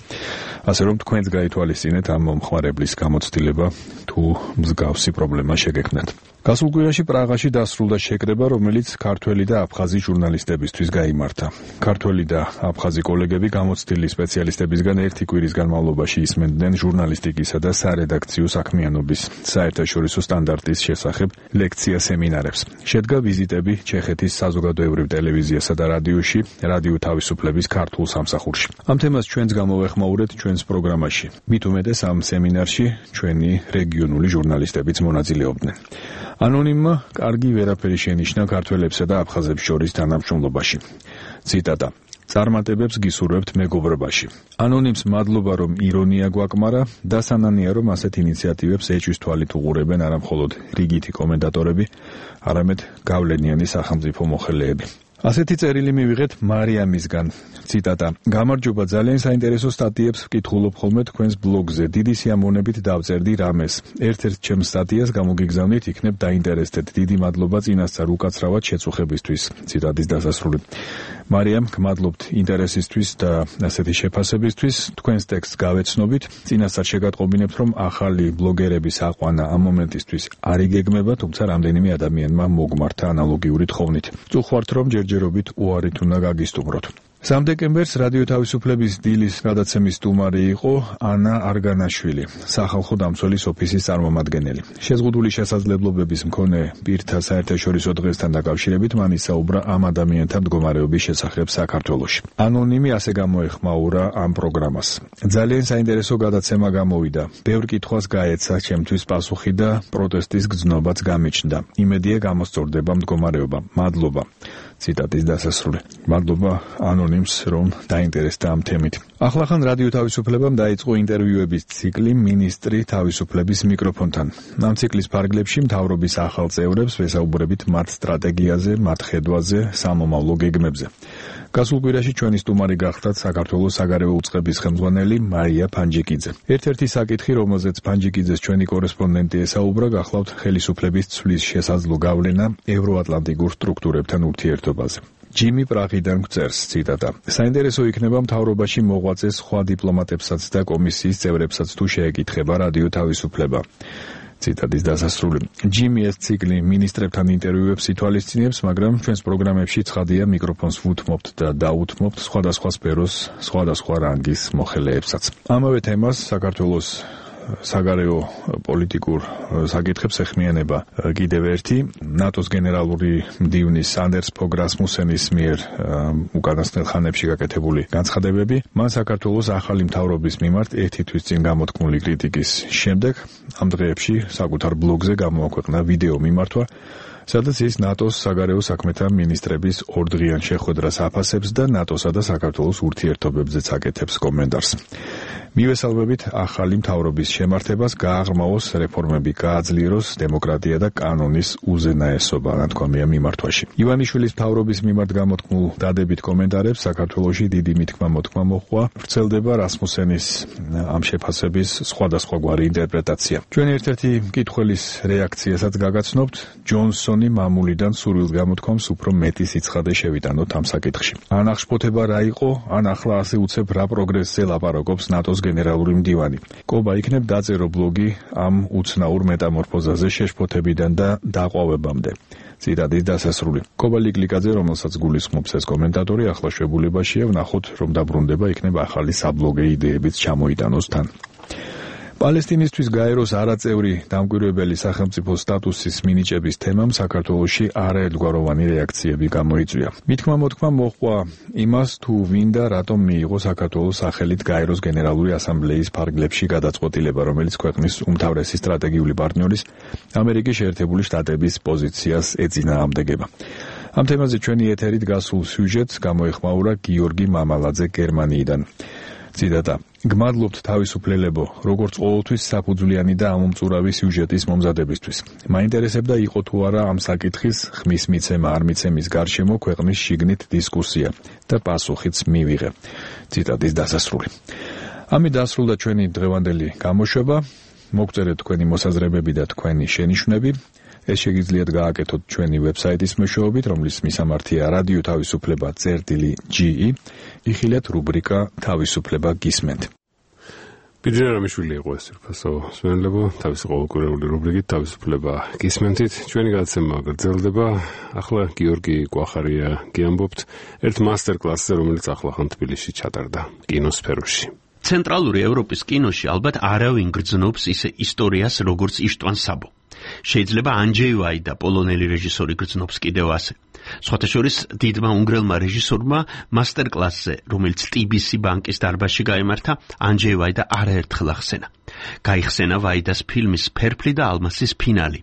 ასე რომ თქვენც გაითვალისწინეთ ამ მომხმარებლის გამოცდილება თუ მსგავსი პრობლემა შეგექმნათ. გასულ კვირაში პრაღაში დასრულდა შეკრება, რომელიც ქართველი და აფხაზი ჟურნალისტებისთვის გაიმართა. ქართველი და აფხაზი კოლეგები გამოცდილი სპეციალისტებისგან ერთი კვირის განმავლობაში ისმენდნენ ჟურნალისტიკისა და სარედაქციო საქმიანობის საერთაშორისო სტანდარტის შესახებ ლექცია-სემინარებს. შედგა ვიზიტები ჩეხეთის საზოგადოებრივ ტელევიზიასა და რადიოში, რადიო თავისუფლების ქართულ სამსახურში. ამ თემას ჩვენს გამოვეხმაურეთ ჩვენს პროგრამაში. მით უმეტეს ამ სემინარში ჩვენი რეგიონული ჟურნალისტებიც მონაწილეობდნენ. ანონიმმა კარგი ვერაფერი შენიშნა ქართველებსა და აფხაზებს შორის თანამშრომლობაში. ციტატა: წარმატებებს გისურვებთ მეგობრობაში. ანონიმს მადლობა, რომ ირონია გვაკმარა და სანანია, რომ ასეთ ინიციატივებს ეჭვის თვალით უყურებენ არა მხოლოდ რიგითი კომენტატორები, არამედ გავლენიანი სახელმწიფო მოხელეები. ასეთი წერილი მივიღეთ მარიამისგან. ციტატა: გამარჯობა, ძალიან საინტერესო სტატიებს ვკითხულობ ხოლმე თქვენს ბლოგზე. დიდი სიამოვნებით დავწერდი რამეს. ერთ-ერთ ჩემს სტატიას გამოგიგზავნით, იქნებ დაინტერესდეთ. დიდი მადლობა წინასწარ უკაცრავად შეწუხებისთვის. ციტატის დასასრული. მარიამ, გმადლობთ ინტერესისთვის და ასეთი შეფასებისთვის. თქვენს ტექსტს გავეცნობით. წინასწარ შეგატყობინებთ, რომ ახალი ბლოგერების აყვანა ამ მომენტისთვის არ იგეგმება, თუმცა რამდენიმე ადამიანმა მოგმართა ანალოგიური თხოვნით. წუხვართ, რომ ჯერჯერობით უარით უნდა გაგისტუმროთ. 3 დეკემბერს რადიო თავისუფლების დილის გადაცემის სტუმარი იყო ანა არგანაშვილი, სახალხო დამცველის ოფისის წარმომადგენელი. შეზღუდული შესაძლებლობების მქონე პირთა საერთაშორისო დღესთან დაკავშირებით მან ისაუბრა ამ ადამიანთა მდგომარეობის შესახებ საქართველოში. ანონიმი ასე გამოეხმაურა ამ პროგრამას. ძალიან საინტერესო გადაცემა გამოვიდა. ბევრ კითხვას გაეცა ჩემთვის პასუხი და პროტესტის გრძნობაც გამიჩნდა. იმედია გამოსწორდება მდგომარეობა. მადლობა. ციტატის დასასრული. მადლობა ანონიმს, რომ დაინტერესდა ამ თემით. ახლახან რადიო თავისუფლებამ დაიწყო ინტერვიუების ციკლი მინისტრი თავისუფლების მიკროფონთან. ამ ციკლის ფარგლებში მთავრობის ახალ წევრებს ვესაუბრებით მათ სტრატეგიაზე, მათ ხედვაზე, სამომავლო გეგმებზე. გასულ კვირაში ჩვენი სტუმარი გახდათ საქართველოს საგარეო უწყების ხელმძღვანელი მარია ფანჯიკიძე. ერთ-ერთი საკითხი, რომელზეც ფანჯიკიძეს ჩვენი კორესპონდენტი ესაუბრა, გახლავთ ხელისუფლების ცვლის შესაძლო გავლენა ევროატლანტიკურ სტრუქტურებთან ურთიერთობაზე. ჯიმი პრაღიდან გვწერს, ციტატა: საინტერესო იქნება მთავრობაში მოღვაწეს სხვა დიპლომატებსაც და კომისიის წევრებსაც თუ შეეკითხება რადიო თავისუფლება. ციტატის დასასრული. ჯიმი ეს ციკლი მინისტრებთან ინტერვიუებს ითვალისწინებს, მაგრამ ჩვენს პროგრამებში ცხადია მიკროფონს ვუთმობთ და დაუთმობთ სხვადასხვა სფეროს, სხვადასხვა რანგის მოხელეებსაც. ამავე თემას საქართველოს საგარეო პოლიტიკურ საკითხებს ეხმიანება კიდევ ერთი ნატოს გენერალური მდივნის სანდერს ფოგ რასმუსენის მიერ უკანასკნელ ხანებში გაკეთებული განცხადებები. მან საქართველოს ახალი მთავრობის მიმართ ერთი თვის წინ გამოთქმული კრიტიკის შემდეგ ამ დღეებში საკუთარ ბლოგზე გამოაქვეყნა ვიდეო მიმართვა, სადაც ის ნატოს საგარეო საქმეთა მინისტრების ორდღიან შეხვედრას აფასებს და ნატოსა და საქართველოს ურთიერთობებზეც აკეთებს კომენტარს. მივესალმებით ახალი მთავრობის შემართებას, გააღრმავოს რეფორმები, გააძლიეროს დემოკრატია და კანონის უზენაესობა, ნათქვამია მიმართვაში. ივანიშვილის მთავრობის მიმართ გამოთქმულ დადებით კომენტარებს საქართველოში დიდი მითქმა-მოთქმა მოჰყვა, ვრცელდება რასმუსენის ამ შეფასების სხვადასხვაგვარი ინტერპრეტაცია. ჩვენ ერთ-ერთი მკითხველის რეაქციასაც გაგაცნობთ. ჯონსონი მამულიდან სურვილს გამოთქვამს უფრო მეტი სიცხადე შევიტანოთ ამ საკითხში. ან აღშფოთება რა იყო, ან ახლა ასე უცებ რა პროგრესზე ლაპარაკობს ნატოს გენერალური მდივანი. კობა იქნებ დაწერო ბლოგი ამ უცნაურ მეტამორფოზაზე შეშფოთებიდან და დაყვავებამდე. ციტატის დასასრული. კობა ლიკლიკაძე, რომელსაც გულისხმობს ეს კომენტატორი, ახლა შეგულებაშია, ვნახოთ, რომ დაბრუნდება იქნება ახალი საბლოგე იდეებიც ჩამოიტანოს თან. პალესტინისთვის გაეროს არაწევრი დამკვირვებელი სახელმწიფო სტატუსის მინიჭების თემამ საქართველოში არაერთგვაროვანი რეაქციები გამოიწვია. მითქმა-მოთქმა მოჰყვა იმას, თუ ვინ და რატომ მიიღო საქართველოს სახელით გაეროს გენერალური ასამბლეის ფარგლებში გადაწყვეტილება, რომელიც ქვეყნის უმთავრესი სტრატეგიული პარტნიორის ამერიკის შეერთებული შტატების პოზიციას ეწინააღმდეგება. ამ თემაზე ჩვენი ეთერით გასულ სიუჟეტს გამოეხმაურა გიორგი მამალაძე გერმანიიდან. ციტატა: გმადლობთ თავისუფლებო, როგორც ყოველთვის საფუძვლიანი და ამომწურავი სიუჟეტის მომზადებისთვის. მაინტერესებდა იყო თუ არა ამ საკითხის ხმის მიცემა არ მიცემის გარშემო ქვეყნის შიგნით დისკუსია და პასუხიც მივიღე. ციტატის დასასრული. ამით დასრულდა ჩვენი დღევანდელი გამოშვება. მოგწერეთ თქვენი მოსაზრებები და თქვენი შენიშვნები. ეს შეგიძლიათ გააკეთოთ ჩვენი ვებსაიტის მეშვეობით, რომლის მისამართია რადიო თავისუფლება.ge. იხილეთ რუბრიკა თავისუფლება გისმენთ. ბიძინა რამიშვილი იყო ეს ფასო სვენლებო თავისი ყოველკვირეული რუბრიკით თავისუფლება გისმენთით ჩვენი გადაცემა გრძელდება ახლა გიორგი კვახარია გიამბობთ ერთ მასტერ-კლასზე რომელიც ახლახან თბილისში ჩატარდა კინოსფეროში ცენტრალური ევროპის კინოში ალბათ არავინ გრძნობს ისე ისტორიას როგორც იშტვან საბო შეიძლება ანჯეი ვაიდა პოლონელი რეჟისორი გრძნობს კიდევ ასე სხვათა შორის დიდმა უნგრელმა რეჟისორმა მასტერ-კლასზე რომელიც TBC ბანკის დარბაზში გაიმართა ანჯეი ვაიდა არაერთხელ ახსენა გაიხსენა ვაიდას ფილმის ფერფლი და ალმასის ფინალი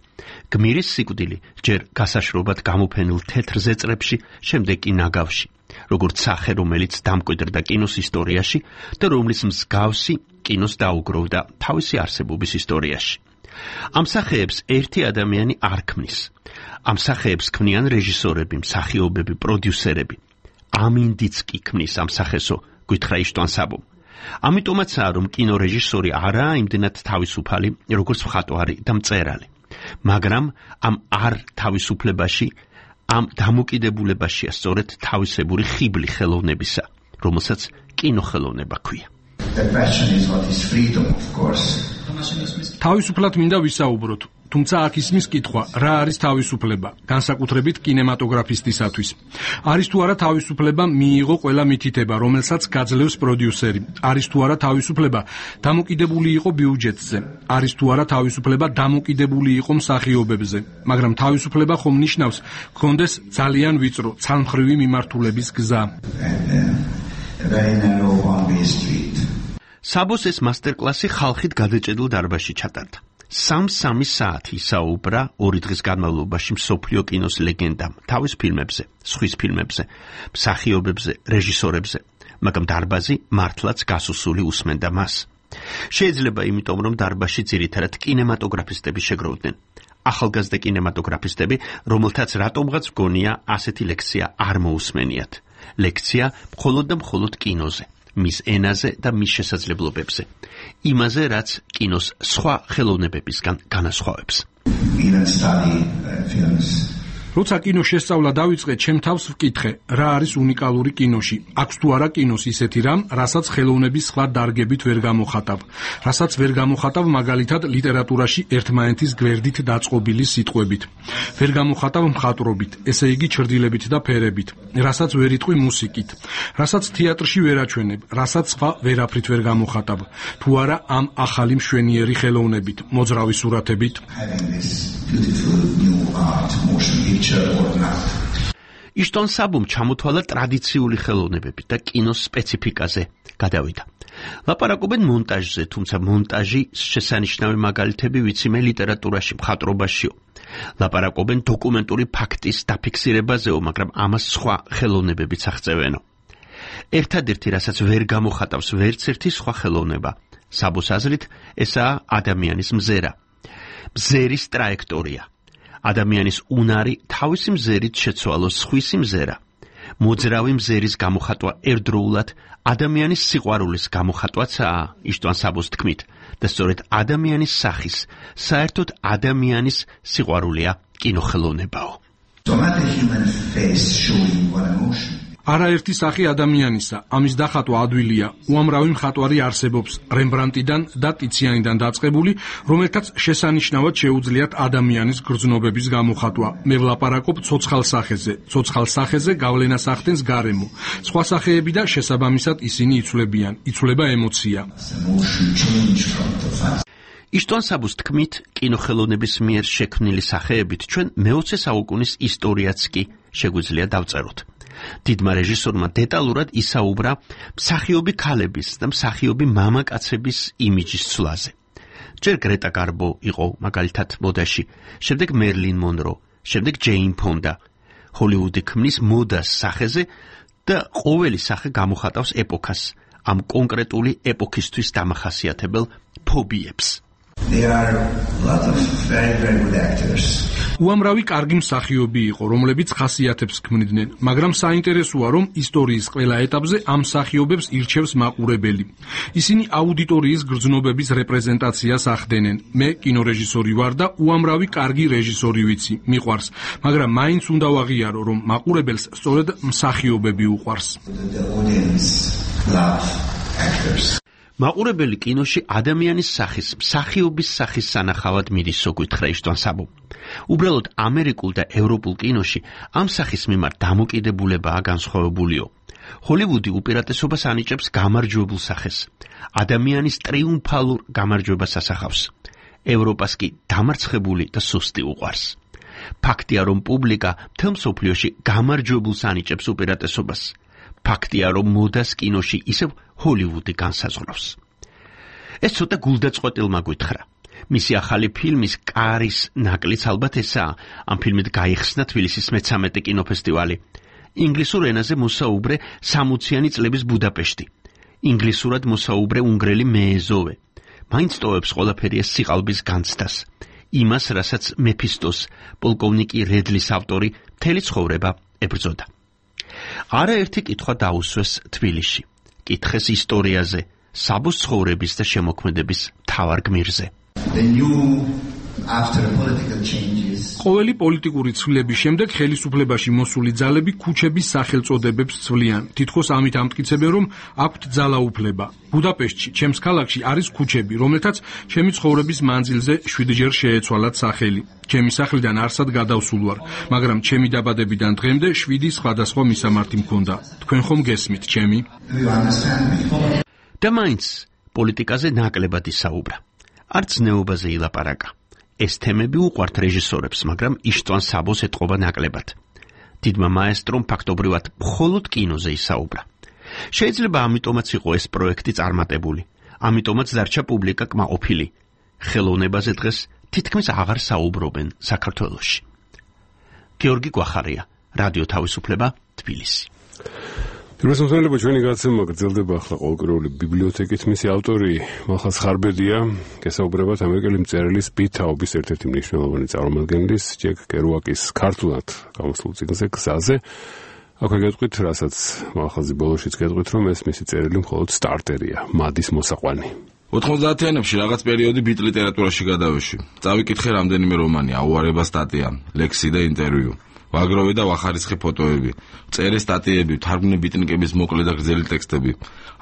გმირის სიკვდილი ჯერ გასაშრობად გამოფენილ თეთრ ზეწრებში შემდეგ კი ნაგავში როგორც სახე რომელიც დამკვიდრდა კინოს ისტორიაში და რომლის მსგავსი კინოს დაუგროვდა თავისი არსებობის ისტორიაში ამ სახეებს ერთი ადამიანი არ ქმნის ამ სახეებს ქმნიან რეჟისორები, მსახიობები, პროდიუსერები. ამინდიც კი ქმნის ამ სახესო, გითხრა იშტვან საბომ. ამიტომაცაა, რომ კინორეჟისორი არაა იმდენად თავისუფალი, როგორც მხატვარი და მწერალი. მაგრამ ამ არ თავისუფლებაში, ამ დამოკიდებულებაშია სწორედ თავისებური ხიბლი ხელოვნებისა, რომელსაც კინოხელოვნება ქვია. თავისუფლად მინდა ვისაუბროთ, თუმცა აქ ისმის კითხვა, რა არის თავისუფლება, განსაკუთრებით კინემატოგრაფისტისათვის. არის თუ არა თავისუფლება მიიღო ყველა მითითება, რომელსაც გაძლევს პროდიუსერი. არის თუ არა თავისუფლება დამოკიდებული იყო ბიუჯეტზე. არის თუ არა თავისუფლება დამოკიდებული იყო მსახიობებზე. მაგრამ თავისუფლება ხომ ნიშნავს, გქონდეს ძალიან ვიწრო, ცალმხრივი მიმართულების გზა. საბოს ეს მასტერ-კლასი ხალხით გადაჭედილ დარბაზში ჩატარდა. 3 საათი ისაუბრა 2 დღის განმავლობაში მსოფლიო კინოს ლეგენდამ, თავის ფილმებზე, სხვის ფილმებზე, მსახიობებზე, რეჟისორებზე, მაგრამ დარბაზი მართლაც გასუსული უსმენდა მას. შეიძლება იმიტომ, რომ დარბაზში ძირითადად კინემატოგრაფისტები შეგროვდნენ. ახალგაზრდა კინემატოგრაფისტები, რომელთაც რატომღაც მგონია ასეთი ლექცია არ მოусმენიათ. ლექცია მხოლოდ და მხოლოდ კინოზე. მის ენაზე და მის შესაძლებლობებზე. იმაზე, რაც კინოს სხვა ხელოვნებებისგან განასხვავებს. როცა კინოს შესწავლა დავიწყე, ჩემ თავს ვკითხე, რა არის უნიკალური კინოში. აქვს თუ არა კინოს ისეთი რამ, რასაც ხელოვნების სხვა დარგებით ვერ გამოხატავ. რასაც ვერ გამოხატავ მაგალითად ლიტერატურაში ერთმანეთის გვერდით დაწყობილი სიტყვებით. ვერ გამოხატავ მხატვრობით, ესე იგი ჩრდილებით და ფერებით. რასაც ვერ იტყვი მუსიკით. რასაც თეატრში ვერ აჩვენებ, რასაც სხვა ვერაფრით ვერ გამოხატავ. თუ არა ამ ახალი მშვენიერი ხელოვნებით, მოძრავი სურათებით. იშტვან საბომ ჩამოთვალა ტრადიციული ხელოვნებებით და კინოს სპეციფიკაზე გადავიდა. ლაპარაკობენ მონტაჟზე, თუმცა მონტაჟი შესანიშნავი მაგალითები ვიციმე ლიტერატურაში, მხატვრობაშიო. ლაპარაკობენ დოკუმენტური ფაქტის დაფიქსირებაზეო, მაგრამ ამას სხვა ხელოვნებებიც აღწევენო. ერთადერთი, რასაც ვერ გამოხატავს ვერც ერთი სხვა ხელოვნება, საბოს აზრით, ესაა ადამიანის მზერა. მზერის ტრაექტორია. ადამიანის უნარი თავისი მზერით შეცვალოს სხვისი მზერა. მოძრავი მზერის გამოხატვა ერთდროულად ადამიანის სიყვარულის გამოხატვაცაა, იშტვან საბოს თქმით, და სწორედ ადამიანის სახის, საერთოდ ადამიანის სიყვარულია კინოხელოვნებაო. არაერთი სახი ადამიანისა, ამის დახატვა ადვილია. უამრავი მხატვარი არსებობს, რემბრანდტიდან და ტიციანიდან დაწყებული, რომელთაც შესანიშნავად შეუძლიათ ადამიანის გრძნობების გამოხატვა. მე ვლაპარაკობ ცოცხალ სახეზე. ცოცხალ სახეზე გავლენას ახდენს გარემო. სხვა სახეები და შესაბამისად ისინი იცვლებიან. იცვლება ემოცია. იშტვან საბოს თქმით, კინოხელოვნების მიერ შექმნილი სახეებით ჩვენ მე-20 საუკუნის ისტორიაც კი შეგვიძლია დავწეროთ. დიდმა რეჟისორმა დეტალურად ისაუბრა მსახიობი ქალების და მსახიობი მამაკაცების იმიჯის ცვლაზე. ჯერ გრეტა გარბო იყო მაგალითად მოდაში, შემდეგ მერლინ მონრო, შემდეგ ჯეინ ფონდა. ჰოლივუდი ქმნის მოდას სახეზე და ყოველი სახე გამოხატავს ეპოქას, ამ კონკრეტული ეპოქისთვის დამახასიათებელ ფობიებს. There are a lot of very good actors. უამრავი კარგი მსახიობი იყო, რომლებიც ხასიათებს ქმნიდნენ, მაგრამ საინტერესოა, რომ ისტორიის ყველა ეტაპზე ამ მსახიობებს ირჩევს მაყურებელი. ისინი აუდიტორიის გრძნობების რეპრეზენტაციას ახდენენ. მე კინორეჟისორი ვარ და უამრავი კარგი რეჟისორი ვიცი, მიყვარს, მაგრამ მაინც უნდა ვაღიარო, რომ მაყურებელს სწორედ მსახიობები უყვარს. მაყურებელი კინოში ადამიანის სახის, მსახიობის სახის სანახავად მიდისო გითხრა იშტვან საბო. უბრალოდ ამერიკულ და ევროპულ კინოში ამ სახის მიმართ დამოკიდებულებაა განსხვავებულიო. ჰოლივუდი უპირატესობას ანიჭებს გამარჯვებულ სახეს. ადამიანის ტრიუმფალურ გამარჯვებას ასახავს. ევროპას კი დამარცხებული და სუსტი უყვარს. ფაქტია, რომ პუბლიკა მთელ მსოფლიოში გამარჯვებულს ანიჭებს უპირატესობას. ფაქტია, რომ მოდას კინოში ისევ ჰოლივუდი განსაზღვრავს. ეს ცოტა გულდაწყვეტილმა გითხრა. მისი ახალი ფილმის კარის ნაკლიც ალბათ ესაა. ამ ფილმით გაიხსნა თბილისის მე-13 კინოფესტივალი. ინგლისურ ენაზე მოსაუბრე 60-იანი წლების ბუდაპეშტი. ინგლისურად მოსაუბრე უნგრელი მეეზოვე. მაინც ტოვებს ყველაფერი ეს სიყალბის განცდას. იმას, რასაც მეფისტოს, პოლკოვნიკი რედლის ავტორი მთელი ცხოვრება ებრძოდა. არაერთი კითხვა დაუსვეს თბილისში. კითხეს ისტორიაზე, საბოს ცხოვრების და შემოქმედების მთავარ გმირზე. ყოველი პოლიტიკური ცვლილების შემდეგ ხელისუფლებაში მოსული ძალები ქუჩების სახელწოდებებს ცვლიან. თითქოს ამით ამტკიცებენ, რომ აქვთ ძალაუფლება. ბუდაპეშტში, ჩემს ქალაქში არის ქუჩები, რომელთაც ჩემი ცხოვრების მანძილზე 7-ჯერ შეეცვალათ სახელი. ჩემი სახლიდან არსად გადავსულ ვარ, მაგრამ ჩემი დაბადებიდან დღემდე 7 სხვადასხვა მისამართი მქონდა. თქვენ ხომ გესმით, ჩემი? და მაინც პოლიტიკაზე ნაკლებად ისაუბრა. არც ნეობაზე ილაპარაკა. ეს თემები უყვართ რეჟისორებს, მაგრამ იშტვან საბოს ეთყობა ნაკლებად. დიდმა მაესტრომ ფაქტობრივად მხოლოდ კინოზე ისაუბრა. შეიძლება ამიტომაც იყო ეს პროექტი წარმატებული. ამიტომაც დარჩა პუბლიკა კმაყოფილი. ხელოვნებაზე დღეს თითქმის აღარ საუბრობენ საქართველოში. გიორგი გვახარია, რადიო თავისუფლება, თბილისი. Პირველსმოწმელებო, ჩვენი გაცემა გრძელდება ახლა ყოველკვირეული ბიბლიოთეკით. მისი ავტორი მალხაზ ხარბედია, გესაუბრებათ ამერიკელი მწერლის პიტ თაუბის ერთ-ერთი მნიშვნელოვანი წარმომადგენლის ჯეკ კერუაკის ქართულად გამოსულ წიგნზე გზაზე. აქვე გეტყვით, რასაც მალხაზი ბოლოშიც გეტყვით, რომ ეს მისი წერილი მხოლოდ სტარტერია, მადის მოსაყვანი. 90-იანებში რაღაც პერიოდი ბიტ ლიტერატურაში გადავეში. წავიკითხე რამდენიმე რომანი, აუარება სტატია, ლექსი და ინტერვიუ. ვაგროვე და ვახარისხე ფოტოები, წერე სტატიები, თარგმნე ბიტნიკების მოკლე და გრძელი ტექსტები.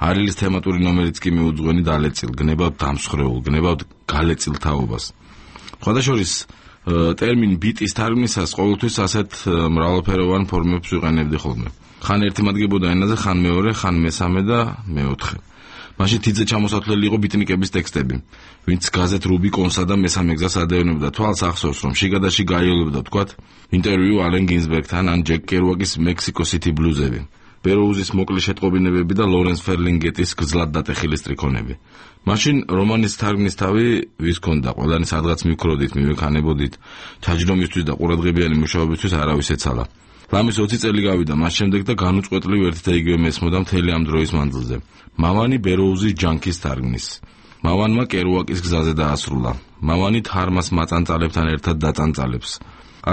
არილის თემატური ნომერიც კი მიუძღვენი დალეწილ, გნებავთ დამსხვრეულ, გნებავთ გალეწილ თაობას. ხოდაშორის ტერმინ ბიტის თარგმნისას ყოველთვის ასეთ მრავალფეროვან ფორმებს ვიყენებდი ხოლმე. ხან ერთი მადგებოდა ენაზე, ხან მეორე, ხან მესამე და მეოთხე. მაშინ თიძე ჩამოსათვლელი იყო ბიტნიკების ტექსტები. ვინც გაზეთ რუბიკონსა და მესამე გზას ადევნებდა, თვალს ახსოვს, რომ შიგადაში გაიოლებდა, თქვათ, ინტერვიუ ალენ გინზბერგთან ან ჯეკ კერუაკის მექსიკო სიტი ბლუზები, ბეროუზის მოკლე შეტყობინებები და ლორენს ფერლინგეტის გძლად დატეხილი სტრიქონები. მაშინ რომანის თარგმნის თავი ვის ქონდა, ყველანი სადღაც მივქროდით, მივექანებოდით, ჩაჯდომისთვის და ყურადღებიანი მუშაობისთვის არავის ეცალა. ლამის 20 წელი გავიდა მას შემდეგ და განუწყვეტლივ ერთ და იგივე მესმოდა მთელი ამ დროის მანძილზე. მამანი ბეროუზის ჯანკის თარგმნის. მამანმა კერუაკის გზაზე დაასრულა. მამანი თარმას მაწანწალებთან ერთად დაწანწალებს.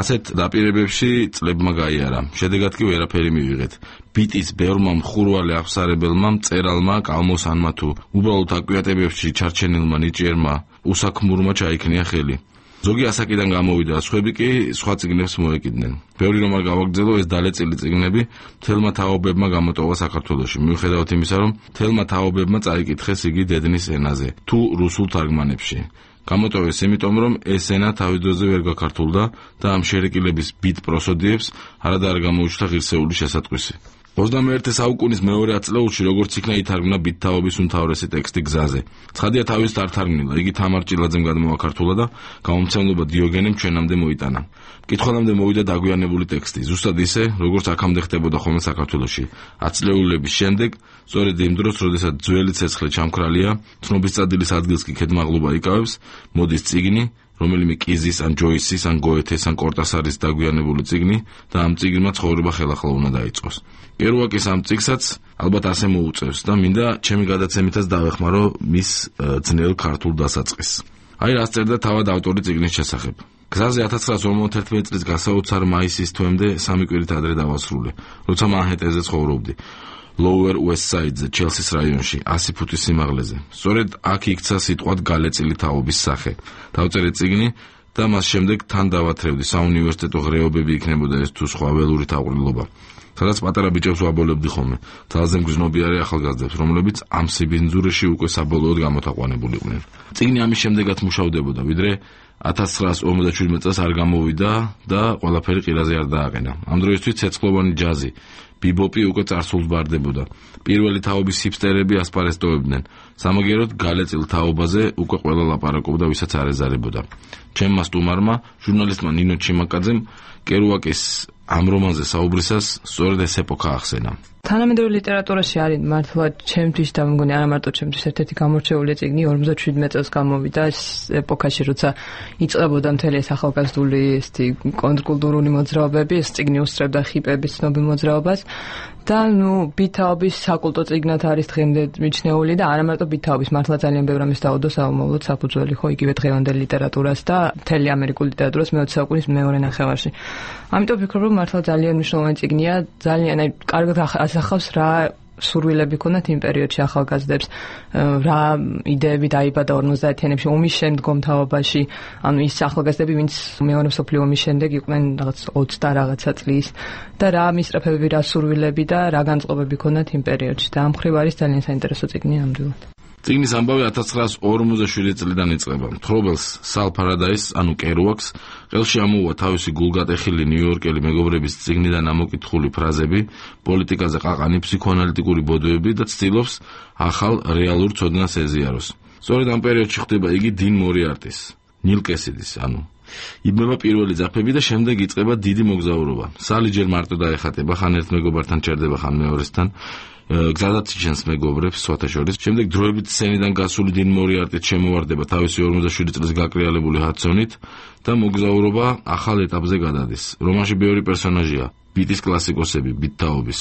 ასეთ დაპირებებში წლებმა გაიარა. შედეგად კი ვერაფერი მივიღეთ. ბიტის ბევრმა მხურვალე აღსარებელმა მწერალმა, კალმოსანმა თუ უბრალოდ აკვიატებებში ჩარჩენილმა ნიჭიერმა უსაქმურმა ჩაიქნია ხელი. ზოგი ასაკიდან გამოვიდა, სხვები კი სხვა წიგნებს მოეკიდნენ. ბევრი რომ არ გავაგრძელო, ეს დალეწილი წიგნები მთელმა თაობებმა გამოტოვა საქართველოში. მიუხედავად იმისა, რომ მთელმა თაობებმა წაიკითხეს იგი დედნის ენაზე, თუ რუსულ თარგმანებში. გამოტოვეს იმიტომ, რომ ეს ენა თავის დროზე ვერ გაქართულდა და ამ შერეკილების ბიტ პროსოდიებს არადა არ გამოუჩნდა ღირსეული შესატყვისი. 21 საუკუნის მეორე ათწლეულში როგორც იქნა ითარგმნა ბიტ თაობის უმთავრესი ტექსტი გზაზე. ცხადია თავის არ თარგმნილა, იგი თამარ ჭილაძემ გადმოაქართულა და გამომცემლობა დიოგენემ ჩვენამდე მოიტანა. მკითხველამდე მოვიდა დაგვიანებული ტექსტი, ზუსტად ისე, როგორც აქამდე ხდებოდა ხოლმე საქართველოში. 10 წლეულების შემდეგ, სწორედ იმ დროს, როდესაც ძველი ცეცხლი ჩამქრალია, ცნობის წადილის ადგილს კი ქედმაღლობა იკავებს, მოდის წიგნი, რომელიმე კიზის, ან ჯოისის, ან გოეთეს, ან კორტასარის დაგვიანებული წიგნი და ამ წიგნმა ცხოვრება ხელახლა უნდა დაიწყოს. კერუაკის ამ წიგნსაც ალბათ ასე მოუწევს და მინდა ჩემი გადაცემითაც დავეხმარო მის ძნელ ქართულ დასაწყისს. აი რას წერდა თავად ავტორი წიგნის შესახებ. გზაზე 1951 წლის გასაოცარ მაისის თვემდე 3 კვირით ადრე დავასრულე, როცა მანჰეტენზე ცხოვრობდი. Lower West Side-ზე, ჩელსის რაიონში, 100 ფუტის სიმაღლეზე. სწორედ აქ იქცა სიტყვად გალეწილი თაობის სახე. დავწერე წიგნი და მას შემდეგ თან დავათრევდი, საუნივერსიტეტო ღრეობები იქნებოდა ეს თუ სხვა ველური თაყრილობა. სადაც პატარა ბიჭებს ვაბოლებდი ხოლმე. ძალზე მგრძნობიარე ახალგაზრდებს, რომლებიც ამ სიბინძურეში უკვე საბოლოოდ გამოთაყვანებულიყვნენ. წიგნი ამის შემდეგაც მუშავდებოდა, ვიდრე 1957 წელს არ გამოვიდა და ყველაფერი ყირაზე არ დააყენა. ამ დროისთვის ცეცხლოვანი ჯაზი, ბიბოპი უკვე წარსულს ბარდებოდა. პირველი თაობის ჰიპსტერები ასპარეზტოებდნენ. სამაგეროდ გალეწილ თაობაზე უკვე ყველა ლაპარაკობდა, ვისაც არ ეზარებოდა. ჩემმა სტუმარმა, ჟურნალისტმა ნინო ჩიმაკაძემ კერუაკის ამ რომანზე საუბრისას სწორედ ეს ეპოქა ახსენა. თანამედროვე ლიტერატურაში არის მართლა ჩემთვის და მგონი არა მარტო ჩემთვის ერთ-ერთი გამორჩეული წიგნი 57 წელს გამოვიდა ეს ეპოქაში, როცა იწყებოდა მთელი ეს ახალგაზრდული კონტრკულტურული მოძრაობები, ეს წიგნი უსწრებდა ჰიპების ცნობილ მოძრაობას და ბითაობის საკულტო წიგნად არის დღემდე მიჩნეული და არა მარტო ბითაობის, მართლა ძალიან ბევრ ამის დაუდო საომავლოდ საფუძველი ხო იგივე დღევანდელ ლიტერატურას და მთელი ამერიკულ ლიტერატურას მე-20 საუკუნის მეორე ნახევარში. ამიტომ ვფიქრობ, რომ მართლა ძალიან მნიშვნელოვანი წიგნია, ძალიან კარგად ასახავს რა სურვილები ქონდათ იმ პერიოდში ახალგაზრდებს, რა იდეები დაიბადა 50-იანებში ომის შემდგომ თაობაში, ანუ ის ახალგაზრდები, ვინც მეორე მსოფლიო ომის შემდეგ იყვნენ რაღაც 20 და რაღაცა წლის და რა მისწრაფებები, რა სურვილები და რა განწყობები ქონდათ იმ პერიოდში და ამ მხრივ არის ძალიან საინტერესო წიგნი ნამდვილად. წიგნის ამბავი 1947 წლიდან იწყება. თხრობელს სალ ფარადაისს, ანუ კერუაკს, ყელში ამოუვა თავისი გულგატეხილი ნიუ-იორკელი მეგობრების წიგნიდან ამოკითხული ფრაზები, პოლიტიკაზე ყაყანი ფსიქოანალიტიკური ბოდოები და ცდილობს ახალ რეალურ ცოდნას ეზიაროს. სწორედ ამ პერიოდში ხდება იგი 딘 მორიარტის, ნილ კესიდის, ანუ იბმება პირველი ძაფები და შემდეგ იწყება დიდი მოგზაურობა. სალი ჯერ მარტო დაეხატება, ხან ერთ მეგობართან ჩერდება, ხან მეორესთან. გზადაც იჩენს მეგობრებს სხვათა შორის. შემდეგ დროებით სცენიდან გასული 딘 მორიარტი შემოვარდება თავისი 47 წლის გაკრიალებული ჰადსონით და მოგზაურობა ახალ ეტაპზე გადადის. რომანში ბევრი პერსონაჟია: ბიტის კლასიკოსები, ბიტთაობის,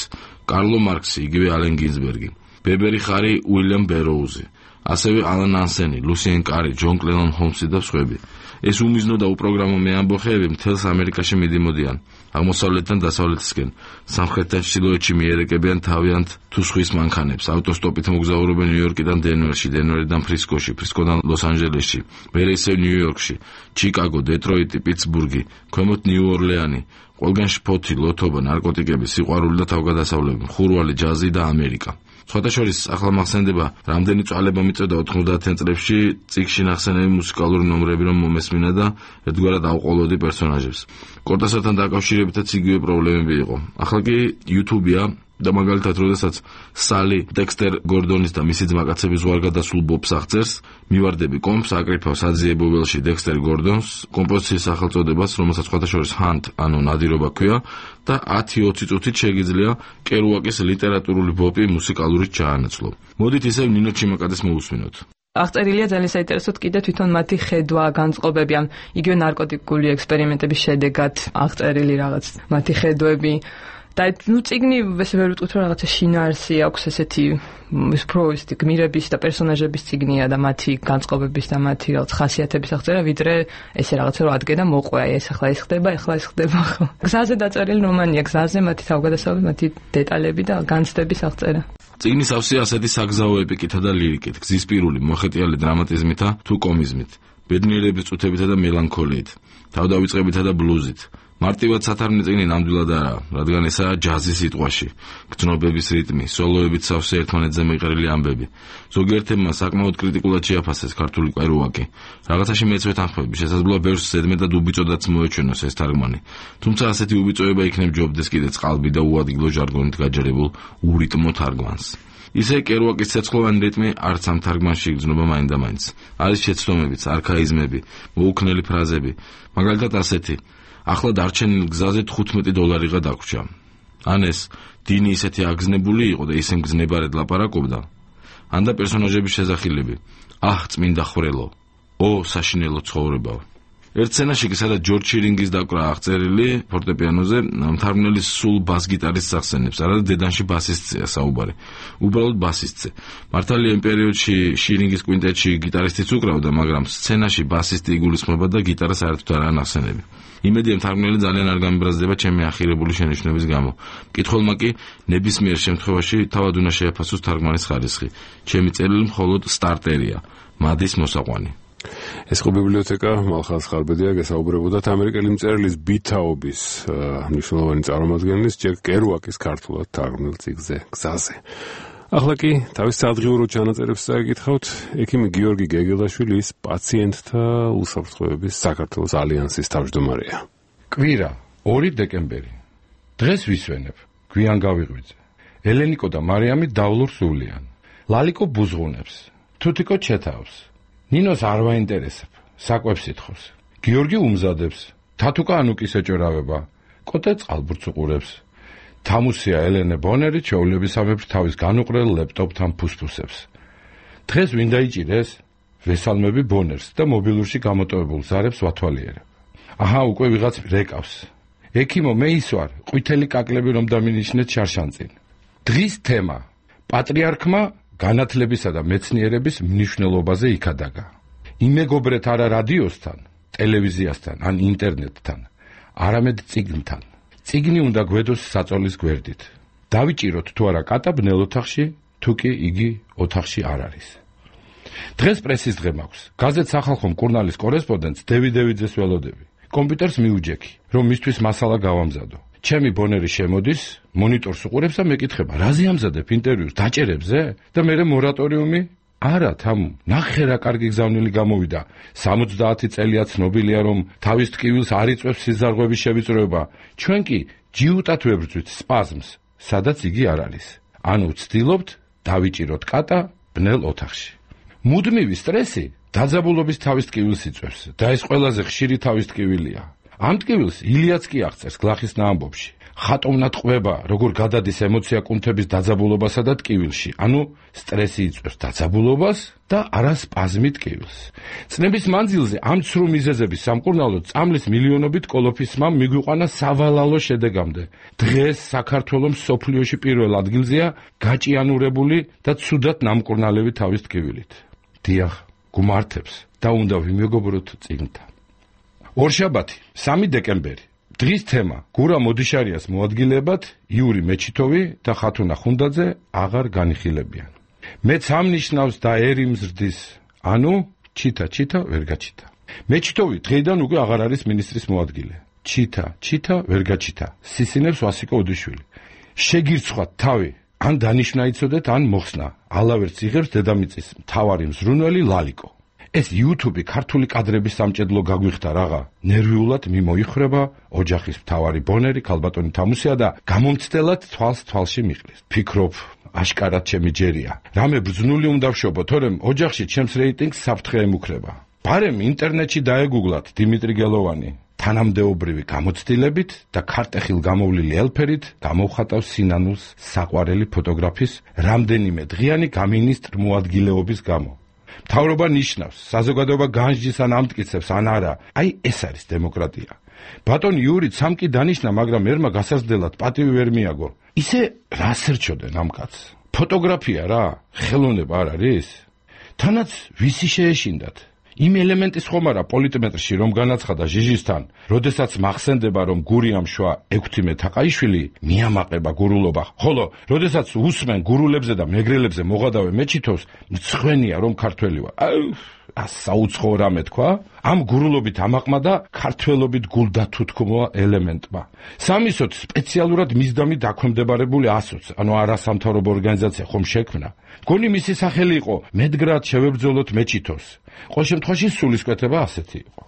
კარლო მარქსი, იგივე ალენ გინზბერგი, ბებერი ხარი, უილიამ ბეროუზი, ასევე ალან ანსენი, ლუსიენ კარი, ჯონ კლენონ ჰოლმსი და სხვები. ეს უმიზნო და უპროგრამო მეამბოხეები მთელს ამერიკაში მიდიმოდიან, აღმოსავლეთიდან დასავლეთისკენ, სამხრეთიდან ჩრდილოეთში მიერეკებიან თავიანთ თუ სხვის მანქანებს, ავტოსტოპით მოგზაურობენ ნიუ-იორკიდან დენვერში, დენვერიდან ფრისკოში, ფრისკოდან ლოს-ანჯელესში, მერე ისევ ნიუ-იორკში, ჩიკაგო, დეტროიტი, პიტსბურგი, ქვემოთ ნიუ-ორლეანი, ყველგან შფოთი, ლოთობა, ნარკოტიკები, სიყვარული და თავგადასავლები, ხურვალი, ჯაზი და ამერიკა. სხვათა შორის ახლა მახსენდება, რამდენი წვალება მიწოდა 90-იან წლებში წიგნში ნახსენები მუსიკალური ნომრები რომ მომესმინა და ერთგვარად ავყოლოდი პერსონაჟებს. კორტესთან დაკავშირებითაც იგივე პრობლემები იყო. ახლა კი YouTube-ია და მაგალითად, როდესაც სალი დექსტერ გორდონის და მისი ძმაკაცების უარგადასულ ბობს აღწერს, მივარდები კომპს, აკრიფავს აძიებობელში დექსტერ გორდონს, კომპოზიციის სახელწოდებას, რომელსაც სხვათა შორის ჰანტ, ანუ ნადირობა ქვია და 10-20 წუთით შეგიძლია კერუაკის ლიტერატურული ბოპი მუსიკალურით ჩაანაცვლო. მოდით ისევ ნინო ჩიმაკაძეს მოусმინოთ. აღწერილია ძალიან საინტერესოდ კიდე თვითონ მათი ხედვა, განწყობები, ამ იგივე ნარკოტიკული ექსპერიმენტების შედეგად აღწერილი რაღაც მათი ხედვები. და წიგნი ესე ვერ ვიტყვით, რომ რაღაცა შინაარსი აქვს ესეთი უფრო გმირების და პერსონაჟების წიგნია და მათი განწყობების და მათი რაღაც ხასიათების აღწერა, ვიდრე ესე რაღაცა რომ ადგენ და მოყვე, ეს ახლა ეს ხდება, ახლა ეს ხდება ხო. გზაზე დაწერილი რომანია, გზაზე მათი თავგადასავლები, მათი დეტალები და განცდების აღწერა. წიგნის ავსია ასეთი საგზაო ეპიკითა და ლირიკით, გზის პირული, მოხეტიალი დრამატიზმითა თუ კომიზმით, ბედნიერების წუთებითა და მელანქოლიით, თავდავიწყებითა და ბლუზით. მარტივად სათარგმნი წიგნი ნამდვილად არაა, რადგან ესაა ჯაზის სიტყვაში, გრძნობების რიტმი, სოლოებით სავსე ერთმანეთზე მეყრილი ამბები. ზოგიერთებმა საკმაოდ კრიტიკულად შეაფასეს ქართული კერუაკი. რაღაცაში მეც ვეთანხმები, შესაძლოა ბევრს ზედმეტ და უბიწოდაც მოეჩვენოს ეს თარგმანი. თუმცა ასეთი უბიწოება იქნებ ჯობდეს კიდე წყალბი და უადგილო ჟარგონით გაჯერებულ ურიტმო თარგმანს. ისე კერუაკის ცეცხლოვანი რიტმი არც ამ თარგმანში იგრძნობა მაინდამაინც. არის შეცდომებიც, არქაიზმები, მოუქნელი ფრაზები, მაგალითად ასეთი: ახლა დარჩენილ გზაზე $15 დაგვრჩა. ან ეს დინი ისეთი აგზნებული იყო და ისე მგზნებარედ ლაპარაკობდა. ან და პერსონაჟების შესახილები: აჰ, წმინდა ხრელო, ო, საშინელო ცხოვრებაო. ერთ სცენაში კი სადაც ჯორჯ შირინგის დაკვრა აღწერილი ფორტეპიანოზე, მთარგმნელი სულ ბას-გიტარისტს ახსენებს, არადა დედანში ბასისტია საუბარი. უბრალოდ ბასისტზე. მართალია იმ პერიოდში შირინგის კვინტეტში გიტარისტიც უკრავდა, მაგრამ სცენაში ბასისტი იგულისხმება და გიტარას საერთოდ არ ანახსენები. იმედია მთარგმნელი ძალიან არ გამიბრაზდება ჩემი ახირებული შენიშვნების გამო. მკითხველმა კი ნებისმიერ შემთხვევაში თავად უნდა შეაფასოს თარგმანის ხარისხი. ჩემი წერილი მხოლოდ სტარტერია, მადის მოსაყვანი. ეს ხო ბიბლიოთეკა მალხაზ ხარბედია გესაუბრებოდათ ამერიკელი მწერლის ბითაობის მნიშვნელოვანი წარმომადგენლის ჯეკ კერუაკის ქართულად თარგმნილ წიგნზე გზაზე. ახლა კი თავის სადღიურო ჩანაწერებს წაიკითხავთ ექიმი გიორგი გეგელაშვილის პაციენტთა უსაფრთხოების საქართველოს ალიანსის თავმჯდომარეა. კვირა 2 დეკემბერი. დღეს ვისვენებ გვიან გავიღვიძე. ელენიკო და მარიამი დავლურ სულიან. ლალიკო ბუზღუნებს. თუთიკო ჩეთავს. ნინოს არ ვაინტერესებ. საკვებს ითხოვს. გიორგი უმზადებს. თათუკა ანუკის ეჭერავება. კოტე წყალბურთს უყურებს. თამუსია ელენე ბონერი ჩვეულებისამებრ თავის განუყრელ ლეპტოპთან ფუსფუსებს. დღეს ვინ დაიჭირეს? ვესალმები ბონერს და მობილურში გამოტოვებულ ზარებს ვათვალიერებ. აჰა, უკვე ვიღაც რეკავს. ექიმო, მე ის ვარ, ყვითელი კაკლები რომ დამინიშნეთ შარშანწინ. დღის თემა: პატრიარქმა განათლებისა და მეცნიერების მნიშვნელობაზე იქადაგა. იმეგობრეთ არა რადიოსთან, ტელევიზიასთან ან ინტერნეტთან, არამედ წიგნთან. წიგნი უნდა გვედოს საწოლის გვერდით. დავიჭიროთ თუ არა კატა ბნელ ოთახში, თუ კი იგი ოთახში არ არის. დღეს პრესის დღე მაქვს. გაზეთ სახალხო მკურნალის კორესპონდენტს დევიდევითძეს ველოდები. კომპიუტერს მიუჯექი, რომ მისთვის მასალა გავამზადო. ჩემი ბონერი შემოდის, მონიტორს უყურებს და მეკითხება, რაზე ამზადებ ინტერვიუს, დაჭერებზე? და მე მორატორიუმი? არა, თამუ, ნახე რა კარგი გზავნილი გამოვიდა. 70 წელია ცნობილია, რომ თავის ტკივილს არ იწვევს სიზარღვების შევიწროება. ჩვენ კი ჯიუტად ვებრძვით სპაზმს, სადაც იგი არ არის. ანუ ვცდილობთ დავიჭიროთ კატა ბნელ ოთახში. მუდმივი სტრესი დაძაბულობის თავის ტკივილს იწვევს და ეს ყველაზე ხშირი თავის ტკივილია. ამ ტკივილს ილიაც კი აღწერს გლახის ნაამბობში. ხატოვნად ყვება, როგორ გადადის ემოცია კუნთების დაძაბულობასა და ტკივილში, ანუ სტრესი იწვევს დაძაბულობას და არა სპაზმი ტკივილს. წნების მანძილზე ამ ცრუ მიზეზების სამკურნალოდ წამლის მილიონობით კოლოფისმა მიგვიყვანა სავალალო შედეგამდე. დღეს საქართველოს მსოფლიოში პირველ ადგილზეა გაჭიანურებული და ცუდად ნამკურნალები თავის ტკივილით. დიახ, გუმართებს და უნდა ვიმეგობროთ წიგნთან. ორშაბათი, 3 დეკემბერი. დღის თემა: გურა მოდიშარიას მოადგილებად იური მეჩითოვი და ხათუნა ხუნდაძე აღარ განიხილებიან. მეც ამ ნიშნავს და ერი მზრდის, ანუ ჩითა ვერ გაჩითა. მეჩითოვი დღეიდან უკვე აღარ არის მინისტრის მოადგილე. ჩითა ვერ გაჩითა. სისინებს ვასიკო ოდიშვილი. შეგირცხათ თავი, ან დანიშნა იცოდეთ, ან მოხსნა. ალავერც იღებს დედამიწის მთავარი მზრუნველი ლალიკო. ეს YouTube ქართული კადრების სამჭედლო გაგვიხდა რაღა. ნერვიულად მიმოიხრება ოჯახის მთავარი ბონერი ქალბატონი თამუსია და გამომცდელად თვალში მიყრის. ფიქრობ, აშკარად ჩემი ჯერია. რამე ბრძნული უნდა ვშობო, თორემ ოჯახში ჩემს რეიტინგს საფრთხე ემუქრება. ბარემ ინტერნეტში დაეგუგლათ დიმიტრი გელოვანი. თანამდებობრივი გამოცდილებით და ქარტეხილ გამოვლილი ელფერით გამოვხატავს სინანულს საყვარელი ფოტოგრაფის რამდენიმე დღიანი გამინისტრ მოადგილეობის გამო. მთავრობა ნიშნავს, საზოგადოება განსჯის ან ამტკიცებს ან არა. აი ეს არის დემოკრატია. ბატონი იური სამკი დანიშნა, მაგრამ ერმა გასაზრდელად პატივი ვერ მიაგო. ისე რას ერჩოდენ ამ კაცს? ფოტოგრაფია რა, ხელოვნება არ არის? თანაც ვისი შეეშინდათ? იმ ელემენტის ხომ არა პოლიტმეტრში რომ განაცხადა ჟიჟისთან, როდესაც მახსენდება რომ გურიამ შვა 16 თაყაიშვილი მიამაყება გურულობა, ხოლო როდესაც უსმენ გურულებზე და მეგრელებზე მოღადავე მეჩითოს, მცხვენია რომ ქართველი ვარ. საუცხო რამე თქვა? ამ გურულობით ამაყმა და ქართველობით გულდათუთქმოა ელემენტმა. სამისოთ სპეციალურად მისდამი დაქვემდებარებული ასოც, ანუ არასამთავრობო ორგანიზაცია ხომ შექმნა. გონი მისი სახელი იყო მედგრად შევებრძოლოთ მეჩითოს. ყოველ შემთხვევაში სულისკვეთება ასეთი იყო.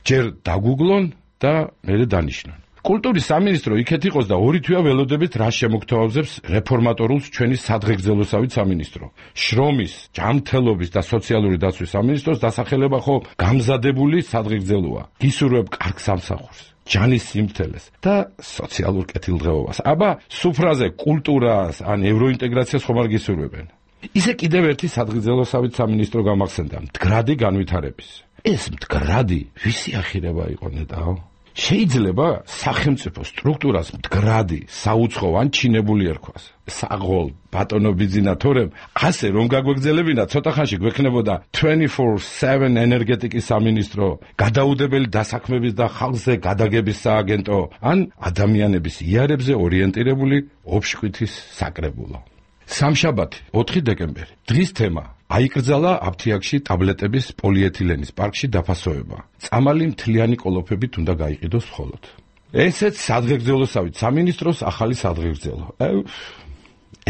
ჯერ დაგუგლონ და მერე დანიშნონ. კულტურის სამინისტრო იქეთ იყოს და 2 თვეა ველოდებით რა შემოგთავაზებს რეფორმატორულს ჩვენი სადღეგრძელოსავით სამინისტრო. შრომის, ჯანმრთელობის და სოციალური დაცვის სამინისტროს დასახელება ხო გამზადებული სადღეგრძელოა. გისურვებ კარგ სამსახურს, ჯანის სიმართლეს და სოციალურ კეთილდღეობას. აბა, სუფრაზე კულტურას ან ევროინტეგრაციას ხომ არ გისურვებენ? ისე კიდევ ერთი სადღეგრძელოსავით სამინისტრო გამახსენდა, მდგრადი განვითარების. ეს მდგრადი ვისი ახირება იყო ნეტაო? შეიძლება სახელმწიფო სტრუქტურას მდგრადი, საუცხო ან ჩინებული ერქვას. საღოლ, ბატონო ბიძინა, თორემ ასე რომ გაგვეგზელებინა, ცოტა ხანში გვექნებოდა 24/7 ენერგეტიკის სამინისტრო, გადაუდებელი დასაქმების და ხალხზე გადაგების სააგენტო, ან ადამიანების იარებზე ორიენტირებული ოფშკვითის საკრებულო. სამშაბათი, 4 დეკემბერი. დღის თემა: აიკრძალა აფთიაქში ტაბლეტების პოლიეთილენის პარკში დაფასოება. წამალი მთლიანი კოლოფებით უნდა გაიყიდოს მხოლოდ. ესეც სადღეგრძელოსავით სამინისტროს ახალი სადღეგრძელო.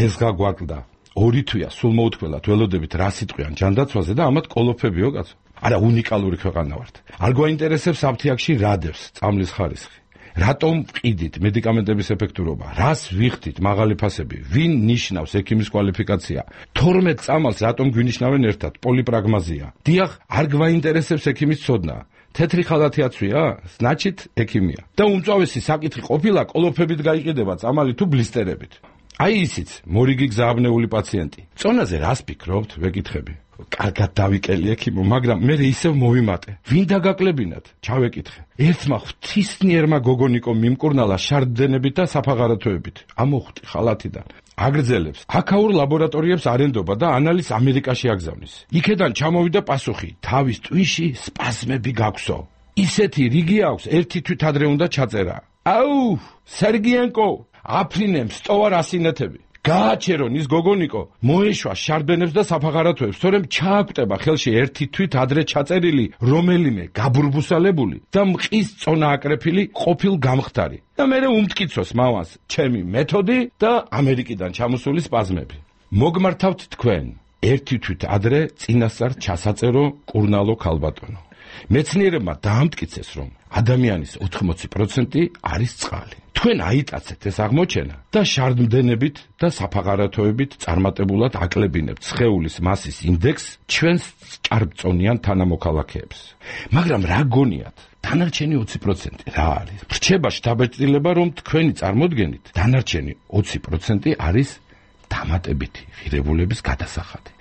ეს გაგვაკლდა. 2 თვეა სულ მოუთქველათ ველოდებით რა სიტყვიან ჯანდაცვაზე და ამათ კოლოფებიო კაცო. არა უნიკალური ქვეყანა ვართ. არ გვაინტერესებს აფთიაქში რა დევს წამლის ხარისხი. რატომ ვყიდით მედიკამენტების ეფექტურობა? რას ვიხდით მაღალი ფასები? ვინ ნიშნავს ექიმის კვალიფიკაცია? 12 წამალს რატომ გვინიშნავენ ერთად? პოლიპრაგმაზია. დიახ, არ გვაინტერესებს ექიმის ცოდნა. თეთრი ხალათი აცვია? значит ექიმია. და უმწვავესი საკითხი ყოფილა კოლოფებით გაიყიდება წამალი თუ ბლისტერებით. აი ისიც მორიგი გზააბნეული პაციენტი. წონაზე რას ფიქრობთ? ვეკითხები. კარგად დავიკელი ექიმო, მაგრამ მე ისევ მოვიმატე. ვინ დაგაკლებინათ? ჩავეკითხე. ერთმა ღვთისნიერმა გოგონიკო მიმკურნალა შარდენებით და საფაღარათოებით. ამოხვდი ხალათიდან. აგრძელებს. აქაურ ლაბორატორიებს არენდობა და ანალიზს ამერიკაში აგზავნის. იქედან ჩამოვიდა პასუხი. თავის ტვინში სპაზმები გაქვსო. ისეთი რიგი აქვს, ერთი თვით ადრე უნდა ჩაწერა. აუ, სერგიენკო, აფრინემ სტოვა რასინეთები. გააჩერონ ის გოგონიკო, მოეშვა შარდენებს და საფაღარათოებს, თორემ ჩააკვტება ხელში ერთი თვით ადრე ჩაწერილი რომელიმე გაბრბუსალებული და მყის წონა აკრეფილი ყოფილ გამხდარი. და მერე უმტკიცოს მავანს ჩემი მეთოდი და ამერიკიდან ჩამოსული სპაზმები. მოგმართავთ თქვენ, ერთი თვით ადრე წინასწარ ჩასაწერო კურნალო ქალბატონო. მეცნიერებმა დაამტკიცეს, რომ ადამიანის 80% არის წყალი. თქვენ აიტაცეთ ეს აღმოჩენა და შარდმდენებით და საფაღარათოებით წარმატებულად აკლებინებთ სხეულის მასის ინდექსს ჩვენს ჭარბწონიან თანამოქალაქეებს. მაგრამ რა გონიათ? დანარჩენი 20% რა არის? რჩება შთაბეჭდილება, რომ თქვენი წარმოდგენით დანარჩენი 20% არის დამატებითი ღირებულების გადასახადი,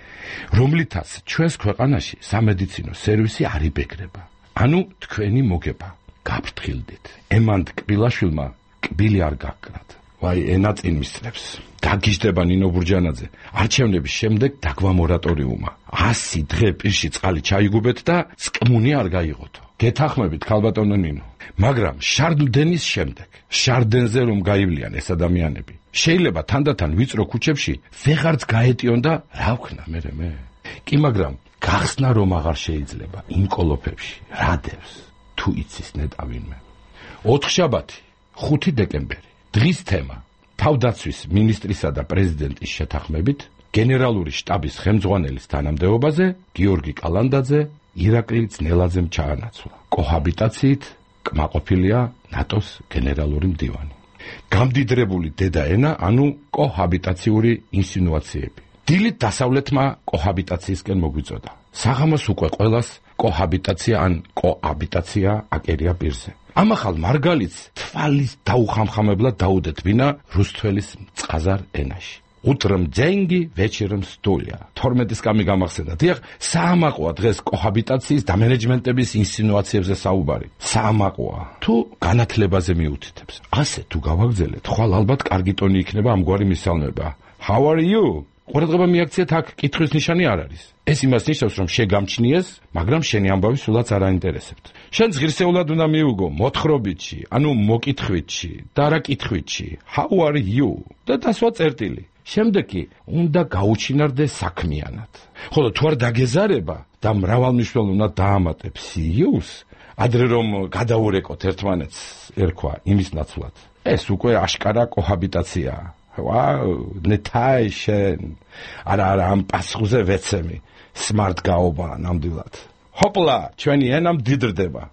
რომლითაც ჩვენს ქვეყანაში სამედიცინო სერვისი არ იბეგრება. ანუ თქვენი მოგება. გაფრთხილდით. ემანდ კბილაშვილმა კბილი არ გაკრათ. ვაი, ენა წინ მისწრებს. დაგიჟდება ნინო ბურჯანაძე. არჩევნების შემდეგ დაგვა მორატორიუმა. 100 დღე პირში წყალი ჩაიგუბეთ და წკმუნი არ გაიღოთ. გეთახმებით ქალბატონო ნინო. მაგრამ შარდმდენის შემდეგ, შარდენზე რომ გაივლიან ეს ადამიანები, შეიძლება თანდათან ვიწრო ქუჩებში ვეღარც გაეტიონ და რა ვქნა მე? კი, მაგრამ გახსნა რომ აღარ შეიძლება იმ კოლოფებში რა დევს თუ იცის ნეტავინმე. 4 შაბათი 5 დეკემბერი. დღის თემა: თავდაცვის მინისტრისა და პრეზიდენტის შეთანხმებით გენერალური შტაბის ხელმძღვანელის თანამდებობაზე გიორგი კალანდაძე ირაკლი ძნელაძემ ჩაანაცვლა. კოჰაბიტაციით კმაყოფილია ნატოს გენერალური მდივანი. გამდიდრებული დედაენა, ანუ კოჰაბიტაციური ინსინუაციები. დილით დასავლეთმა კოჰაბიტაციისკენ მოგვიწოდა. საღამოს უკვე ყველას კოჰაბიტაცია ან კოაბიტაცია აკერია პირზე. ამახალ მარგალიტს თვალის დაუხამხამებლად დაუდეთ ვინა რუსთველის მწყაზარ ენაში. უტრым деньги, вечером стулья. 12-ის კამი გამახსენდა. დიახ, საამაყოა დღეს კოჰაბიტაციის და მენეჯმენტების ინსინუაციებზე საუბარი. საამაყოა. თუ განათლებაზე მიუთითებს. ასე თუ გავაგრძელეთ, ხვალ ალბათ კარგი ტონი იქნება ამგვარი მისალმება. How are you? ყურადღება მიაქციეთ, აქ კითხვის ნიშანი არ არის. ეს იმას ნიშნავს, რომ შეგამჩნიეს, მაგრამ შენი ამბავი სულაც არ აინტერესებთ. შენ ღირსეულად უნდა მიუგო მოთხრობითში, ანუ მოკითხვითში და არა კითხვითში. How are you? და დასვა წერტილი. შემდეგ კი უნდა გაუჩინარდე საქმიანად. ხოლო თუ არ დაგეზარება და მრავალმნიშვნელო უნდა დაამატებ see-ს, ადრე რომ გადაურეკოთ ერთმანეთს, ერქვა იმის ნაცვლად. ეს უკვე აშკარა კოჰაბიტაციაა. ვაუ, ნეთაი შენ. არა, ამ პასუხზე ვეცემი. smart გაობა ნამდვილად. ჰოპლა, ჩვენი ენა მდიდრდება.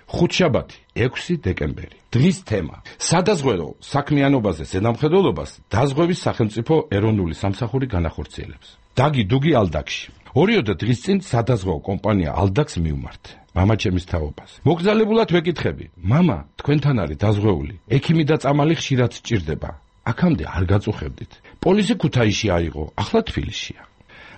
ხუთშაბათი, 6 დეკემბერი. დღის თემა: სადაზღვევო საქმიანობაზე ზედამხედველობას დაზღვევის სახელმწიფო ეროვნული სამსახური განახორციელებს. დაგი დუგი ალდაკში. 2 დღის წინ სადაზღვევო კომპანია ალდაკს მივმართე. მამა ჩემის თაობას. მოგზალებულად ვეკითხები: მამა, თქვენთან არის დაზღვეული. ექიმი და წამალი ხშირად სჭირდება. აქამდე არ გაწუხებდით. პოლისი ქუთაისში აიღო, ახლა თბილისშია.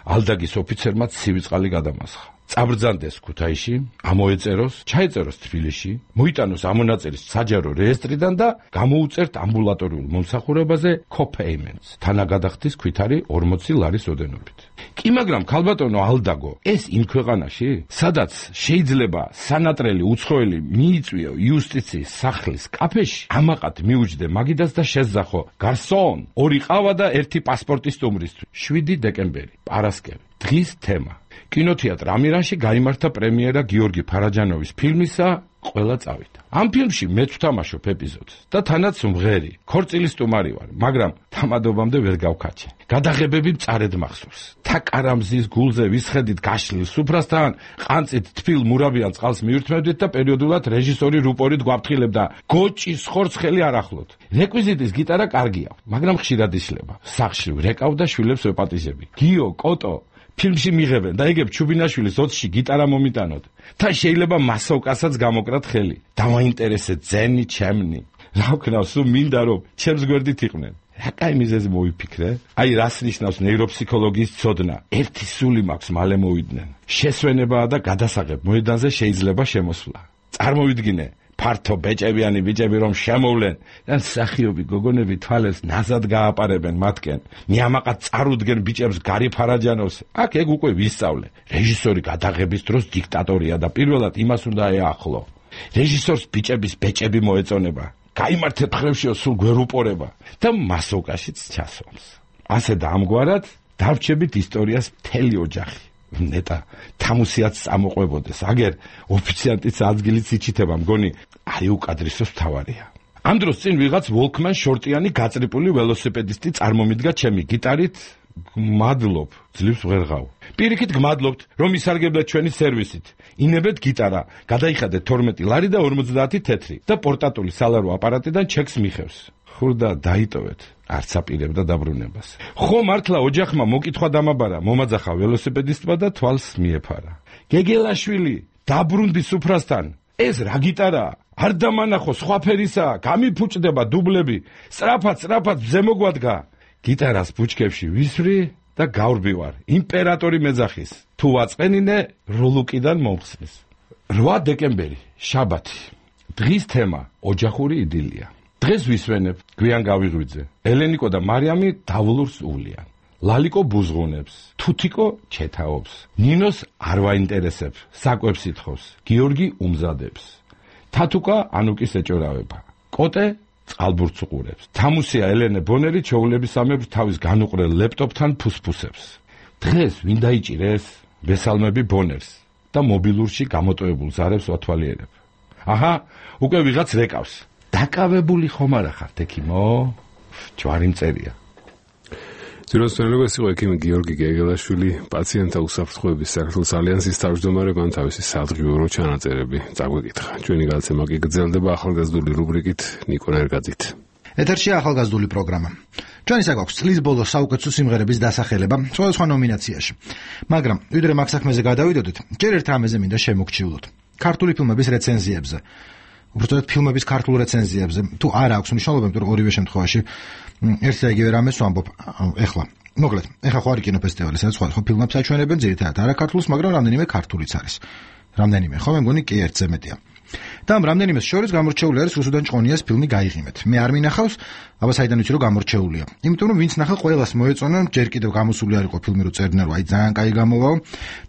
ალდაგის ოფიცერმა ცივი წყალი გადამასხა. წაბრძანდეს ქუთაისში, ამოეწეროს, ჩაეწეროს თბილისში, მოიტანოს ამონაწერის საჯარო რეესტრიდან და გამოუწერთ ამბულატორიულ მომსახურებაზე co-payments, თანაგადახდის ქვითარი 40 ლარის ოდენობით. კი, მაგრამ ქალბატონო ალდაგო, ეს იმ ქვეყანაში, სადაც შეიძლება სანატრელი უცხოელი მიიწვიო იუსტიციის სახლის კაფეში, ამაყად მიუჯდე მაგიდას და შეზახო გარსონ, 2 ყავა და 1 პასპორტი სტუმრისთვის. 7 დეკემბერი, პარასკევი. დღის თემა. კინოთეატრ ამირანში გაიმართა პრემიერა გიორგი ფარაჯანოვის ფილმისა ყველა წავიდა. ამ ფილმში მეც ვთამაშობ ეპიზოდს და თანაც მღერი, ქორწილის სტუმარი ვარ, მაგრამ თამადობამდე ვერ გავქაჩე. გადაღებები მწარედ მახსოვს. თაკარამზის გულზე ვისხედით გაშლილ სუფრასთან, ყანწით თბილ მურაბიან წყალს მივირთმევდით და პერიოდულად რეჟისორი რუპორით გვაფრთხილებდა გოჭის ხორცხელი არ ახლოთ. რეკვიზიტის გიტარა კარგია, მაგრამ ხშირად იშლება. სახლში ვრეკავ და შვილებს ვეპატიჟები. გიო, კოტო ფილმში მიღებენ და ეგებ ჩუბინაშვილის 20-ში გიტარა მომიტანოთ. და შეიძლება მასოვკასაც გამოკრათ ხელი. დავაინტერესე ძენი ჩემნი. რა ვქნავ, სულ მინდა რომ ჩემს გვერდით იყვნენ. რა კაი მიზეზი მოიფიქრე? აი რას ნიშნავს ნეიროფსიქოლოგიის ცოდნა? ერთი სული მაქვს მალე მოვიდნენ. შესვენებაა და გადასაღებ მოედანზე შეიძლება შემოსვლა. წარმოვიდგინე ფართო ბეჭებიანი ბიჭები რომ შემოვლენ და სახიობი გოგონები თვალებს ნაზად გააპარებენ მათკენ. მიამაყად წარუდგენ ბიჭებს გარი ფარაჯანოვს. აქ ეგ უკვე ვისწავლე. რეჟისორი გადაღების დროს დიქტატორია და პირველად იმას უნდა ეახლო. რეჟისორს ბიჭების ბეჭები მოეწონება. გაიმართეთ ხრევშიო სულ გვერუპორება და მასოვკაშიც ჩასვამს. ასე და ამგვარად დავრჩებით ისტორიას მთელი ოჯახი. ნეტა თამუსიაც წამოყვებოდეს. აგერ ოფიციანტიც ადგილიც იჩითება, მგონი აი უკადრისოს მთავარია. ამ დროს წინ ვიღაც ვოლკმან შორტიანი გაწრიპული ველოსიპედისტი წარმომიდგა ჩემი გიტარით. გმადლობ, ძლივს ვღერღავ. პირიქით გმადლობთ, რომ ისარგებლეთ ჩვენი სერვისით. ინებეთ გიტარა, გადაიხადეთ 12 ლარი და 50 თეთრი და პორტატული სალარო აპარატიდან ჩეკს მიხევს. ხურდა დაიტოვეთ, არც აპირებდა დაბრუნებას. ხო მართლა ოჯახმა მოკითხვა დამაბარა, მომაძახა ველოსიპედისტმა და თვალს მიეფარა. გეგელაშვილი, დაბრუნდი სუფრასთან. ეს რა გიტარაა? არ დამანახო, სხვა ფერისაა, გამიფუჭდება დუბლები. სწრაფად ზემოგვადგა. გიტარას ბუჩქებში ვისვრი და გავრბივარ. იმპერატორი მეძახის. თუ ვაწყენინე, როლუკიდან მომხსნის. 8 დეკემბერი, შაბათი. დღის თემა ოჯახური იდილია. დღეს ვისვენებ, გვიან გავიღვიძე. ელენიკო და მარიამი დავლურს ულიან. ლალიკო ბუზღუნებს, თუთიკო ჩეთაობს. ნინოს არ ვაინტერესებს, საკვებს ითხოვს. გიორგი უმზადებს. თათუკა ანუკის ეჭორავება. კოტე წყალბურთს უყურებს. თამუსია ელენე ბონერი ჩოულებისამებრ თავის განუყრელ ლეპტოპთან ფუსფუსებს. დღეს ვინ დაიჭირეს? ბესალმები ბონერს და მობილურში გამოტოვებულ ზარებს ვათვალიერებ. აჰა, უკვე ვიღაც რეკავს. დაკავებული ხომ არა ხართ ექიმო? ჯვარი მწერია. ძიროსწორებას იყო ექიმი გიორგი გეგელაშვილი, პაციენტთა უსაფრთხოების საქართველოს ალიანსის თავმჯდომარე, მან თავისი სადღიურო ჩანაწერები წაგვეკითხა. ჩვენი გადაცემა კი გრძელდება ახალგაზრდული რუბრიკით ნიკო ნერგაძით. ეთერშია ახალგაზრდული პროგრამა. ჩვენი საქმე წლის ბოლოს საუკეთესო სიმღერების დასახელება სხვადასხვა ნომინაციაში. მაგრამ ვიდრე მაგ საქმეზე გადავიდოდეთ, ჯერ ერთ რამეზე მინდა შემოგჩივლოთ. ქართული ფილმების რეცენზიებზე. უბრალოდ ფილმების ქართულ რეცენზიებზე თუ არ აქვს მნიშვნელობა, იმიტომ რომ ორივე შემთხვევაში ერთ და იგივე რამეს ვამბობ. ეხლა მოკლედ, ეხლა ხო არის კინოფესტივალი, სადაც სხვადასხვა ფილმებს აჩვენებენ, ძირითადად არა ქართულს, მაგრამ რამდენიმე ქართულიც არის. რამდენიმე, ხო, მე მგონი კი ერთზე მეტია. და ამ რამდენიმეს შორის გამორჩეული არის რუსუდან ჭყონიას ფილმი გაიღიმეთ. მე არ მინახავს, აბა საიდან ვიცი რომ გამორჩეულია. იმიტომ რომ ვინც ნახა ყველას მოეწონა, ჯერ კიდევ გამოსული არ იყო ფილმი, რომ წერდნენ რომ აი ძალიან კაი გამოვაო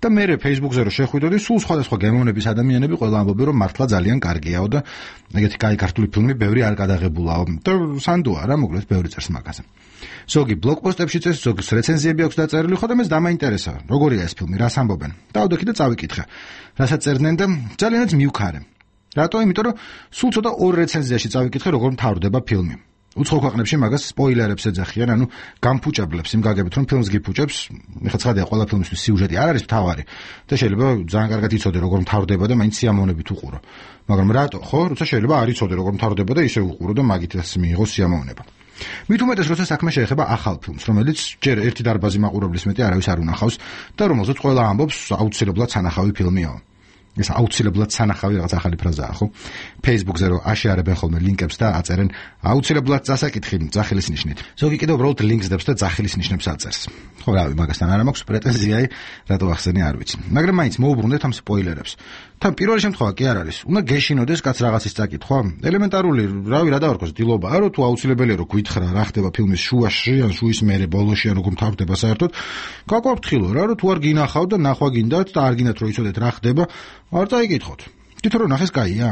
და მე Facebook-ზე რომ შეხვიდოდი, სულ სხვადასხვა გემოვნების ადამიანები ყველა ამბობენ რომ მართლა ძალიან კარგიაო და ეგეთი კაი ქართული ფილმი ბევრი არ გადაღებულაო. და სანდოა რა, მოკლედ ბევრი წერს მაგაზე. ზოგი ბლოგპოსტებში წერს, ზოგი რეცენზიები აქვს დაწერილი, ხო და მე დამაინტერესა, როგორია ეს ფილმი, რას ამბობენ. დავდოქი და წავიკითხე. რასაც წერდნენ და ძალიანაც მივქარე. რატო? იმიტომ რომ სულ ცოტა ორ რეცენზიაში წავიკითხე, როგორ მთავრდება ფილმი. უცხო ქვეყნებში მაგას სპოილერებს ეძახიან, ანუ გამფუჭებლებს იმ გაგებით, რომ ფილმს გიფუჭებს. ეხლა ცხადია, ყველა ფილმისთვის სიუჟეტი არ არის მთავარი და შეიძლება ძალიან კარგად იცოდე, როგორ მთავრდება და მაინც სიამოვნებით უყურო. მაგრამ რატო? ხო, როცა შეიძლება არ იცოდე, როგორ მთავრდება და ისე უყურო და მაგითაც მიიღო სიამოვნება. მით უმეტეს, როცა საქმე შეეხება ახალ ფილმს, რომელიც ჯერ ერთი დარბაზი მაყურებლის მეტი არავის არ უნახავს და რომელზეც ყველა ამბობს, აუცილებლად სანახავი ფილმია. ეს აუცილებლად სანახავი რაღაც ახალი ფრაზაა, ხო? Facebook-ზე რო აშეარებენ ხოლმე ლინკებს და აწერენ აუცილებლად წასაკითხი ძახილის ნიშნით. ზოგი კიდევ უბრალოდ ლინკს დებს და ძახილის ნიშნებს აწერს. ხო, რავი, მაგასთან არ მაქვს პრეტენზიაი, რატო ახსენე არ ვიცი. მაგრამ მაინც მოუბრუნდეთ ამ სპოილერებს. თან პირველი შემთხვევა კი არ არის. უნდა გეშინოდეს კაც რაღაცის წაკითხვა. ელემენტარული, რავი, რა დავარქოს, დილობაა, რომ თუ აუცილებელია რომ გვითხრა რა ხდება ფილმის შუაში, ან შუის მერე ბოლოში, ან როგორ მთავრდება საერთოდ. გაგვაფრთხილო რა, რომ თუ არ გინახავ და ნახვა გინდათ და არ გინდათ რომ იცოდეთ რა ხდება, არ წაიკითხოთ. თვითონ რომ ნახეს კაია.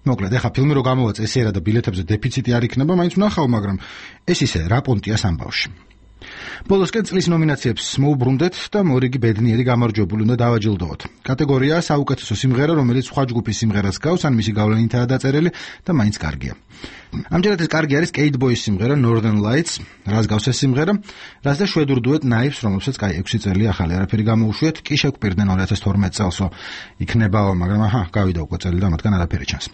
მოკლედ, ეხა ფილმი რო გამოვა წესიერად და ბილეთებზე დეფიციტი არ იქნება, მაინც ვნახავ, მაგრამ ეს ისე რა პონტია სამბავში. ბოლოსკენ წლის ნომინაციებს მოუბრუნდეთ და მორიგი ბედნიერი გამარჯვებული უნდა დავაჯილდოვოთ. კატეგორიაა საუკეთესო სიმღერა, რომელიც სხვა ჯგუფის სიმღერას გავს, ან მისი გავლენითაა დაწერილი და მაინც კარგია. ამჯერად ეს კარგი არის Kate Boys სიმღერა Northern Lights, რაც გავს ეს სიმღერა, რაც და შვედურ დუეტ Knives, რომელსაც კაი 6 წელი ახალი არაფერი გამოუშვიათ, კი შეგვპირდნენ 2012 წელსო იქნებაო, მაგრამ აჰა, გავიდა უკვე წელი და მათგან არაფერი ჩანს.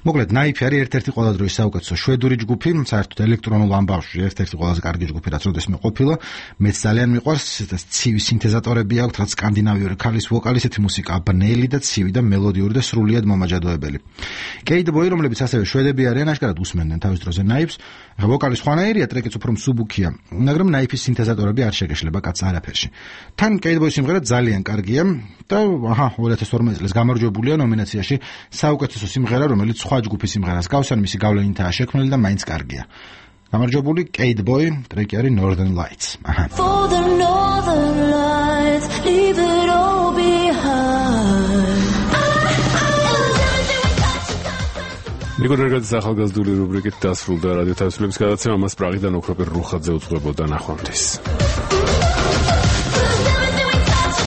მოკლედ, Knife არის ერთ-ერთი ყველა დროის საუკეთესო შვედური ჯგუფი, საერთოდ ელექტრონულ ამბავში ერთ-ერთი ყველაზე კარგი ჯგუფი, რაც როდესმე ყოფილა. მეც ძალიან მიყვარს, ცივი სინთეზატორები აქვს, რაც სკანდინავიური ქალის ვოკალი, ესეთი მუსიკა ბნელი და ცივი და მელოდიური და სრულიად მომაჯადოებელი. Kate Boy, რომლებიც ასევე შვედები არიან, აშკარად უსმენდნენ თავის დროზე Knives. ვოკალი სხვანაირია, ტრეკიც უფრო მსუბუქია, მაგრამ Knife-ის სინთეზატორები არ შეგეშლება კაც არაფერში. თან Kate Boy სიმღერა ძალიან კარგია და აჰა, 2012 წელს გამარჯვებულია ნომინაციაში საუკეთესო სიმღერა, რომელიც სხვა ჯგუფის სიმღერას გავს, ან მისი გავლენითაა შექმნილი და მაინც კარგია. გამარჯვებული Kate Boy, ტრეკი არის Northern Lights. For the Northern Lights, leave it all behind. ნიკორერგაძის ახალგაზრდული რუბრიკით დასრულდა რადიო თავისუფლების გადაცემა, მას პრაღიდან ოქროპირ რუხაძე უძღვებოდა ნახვამდის.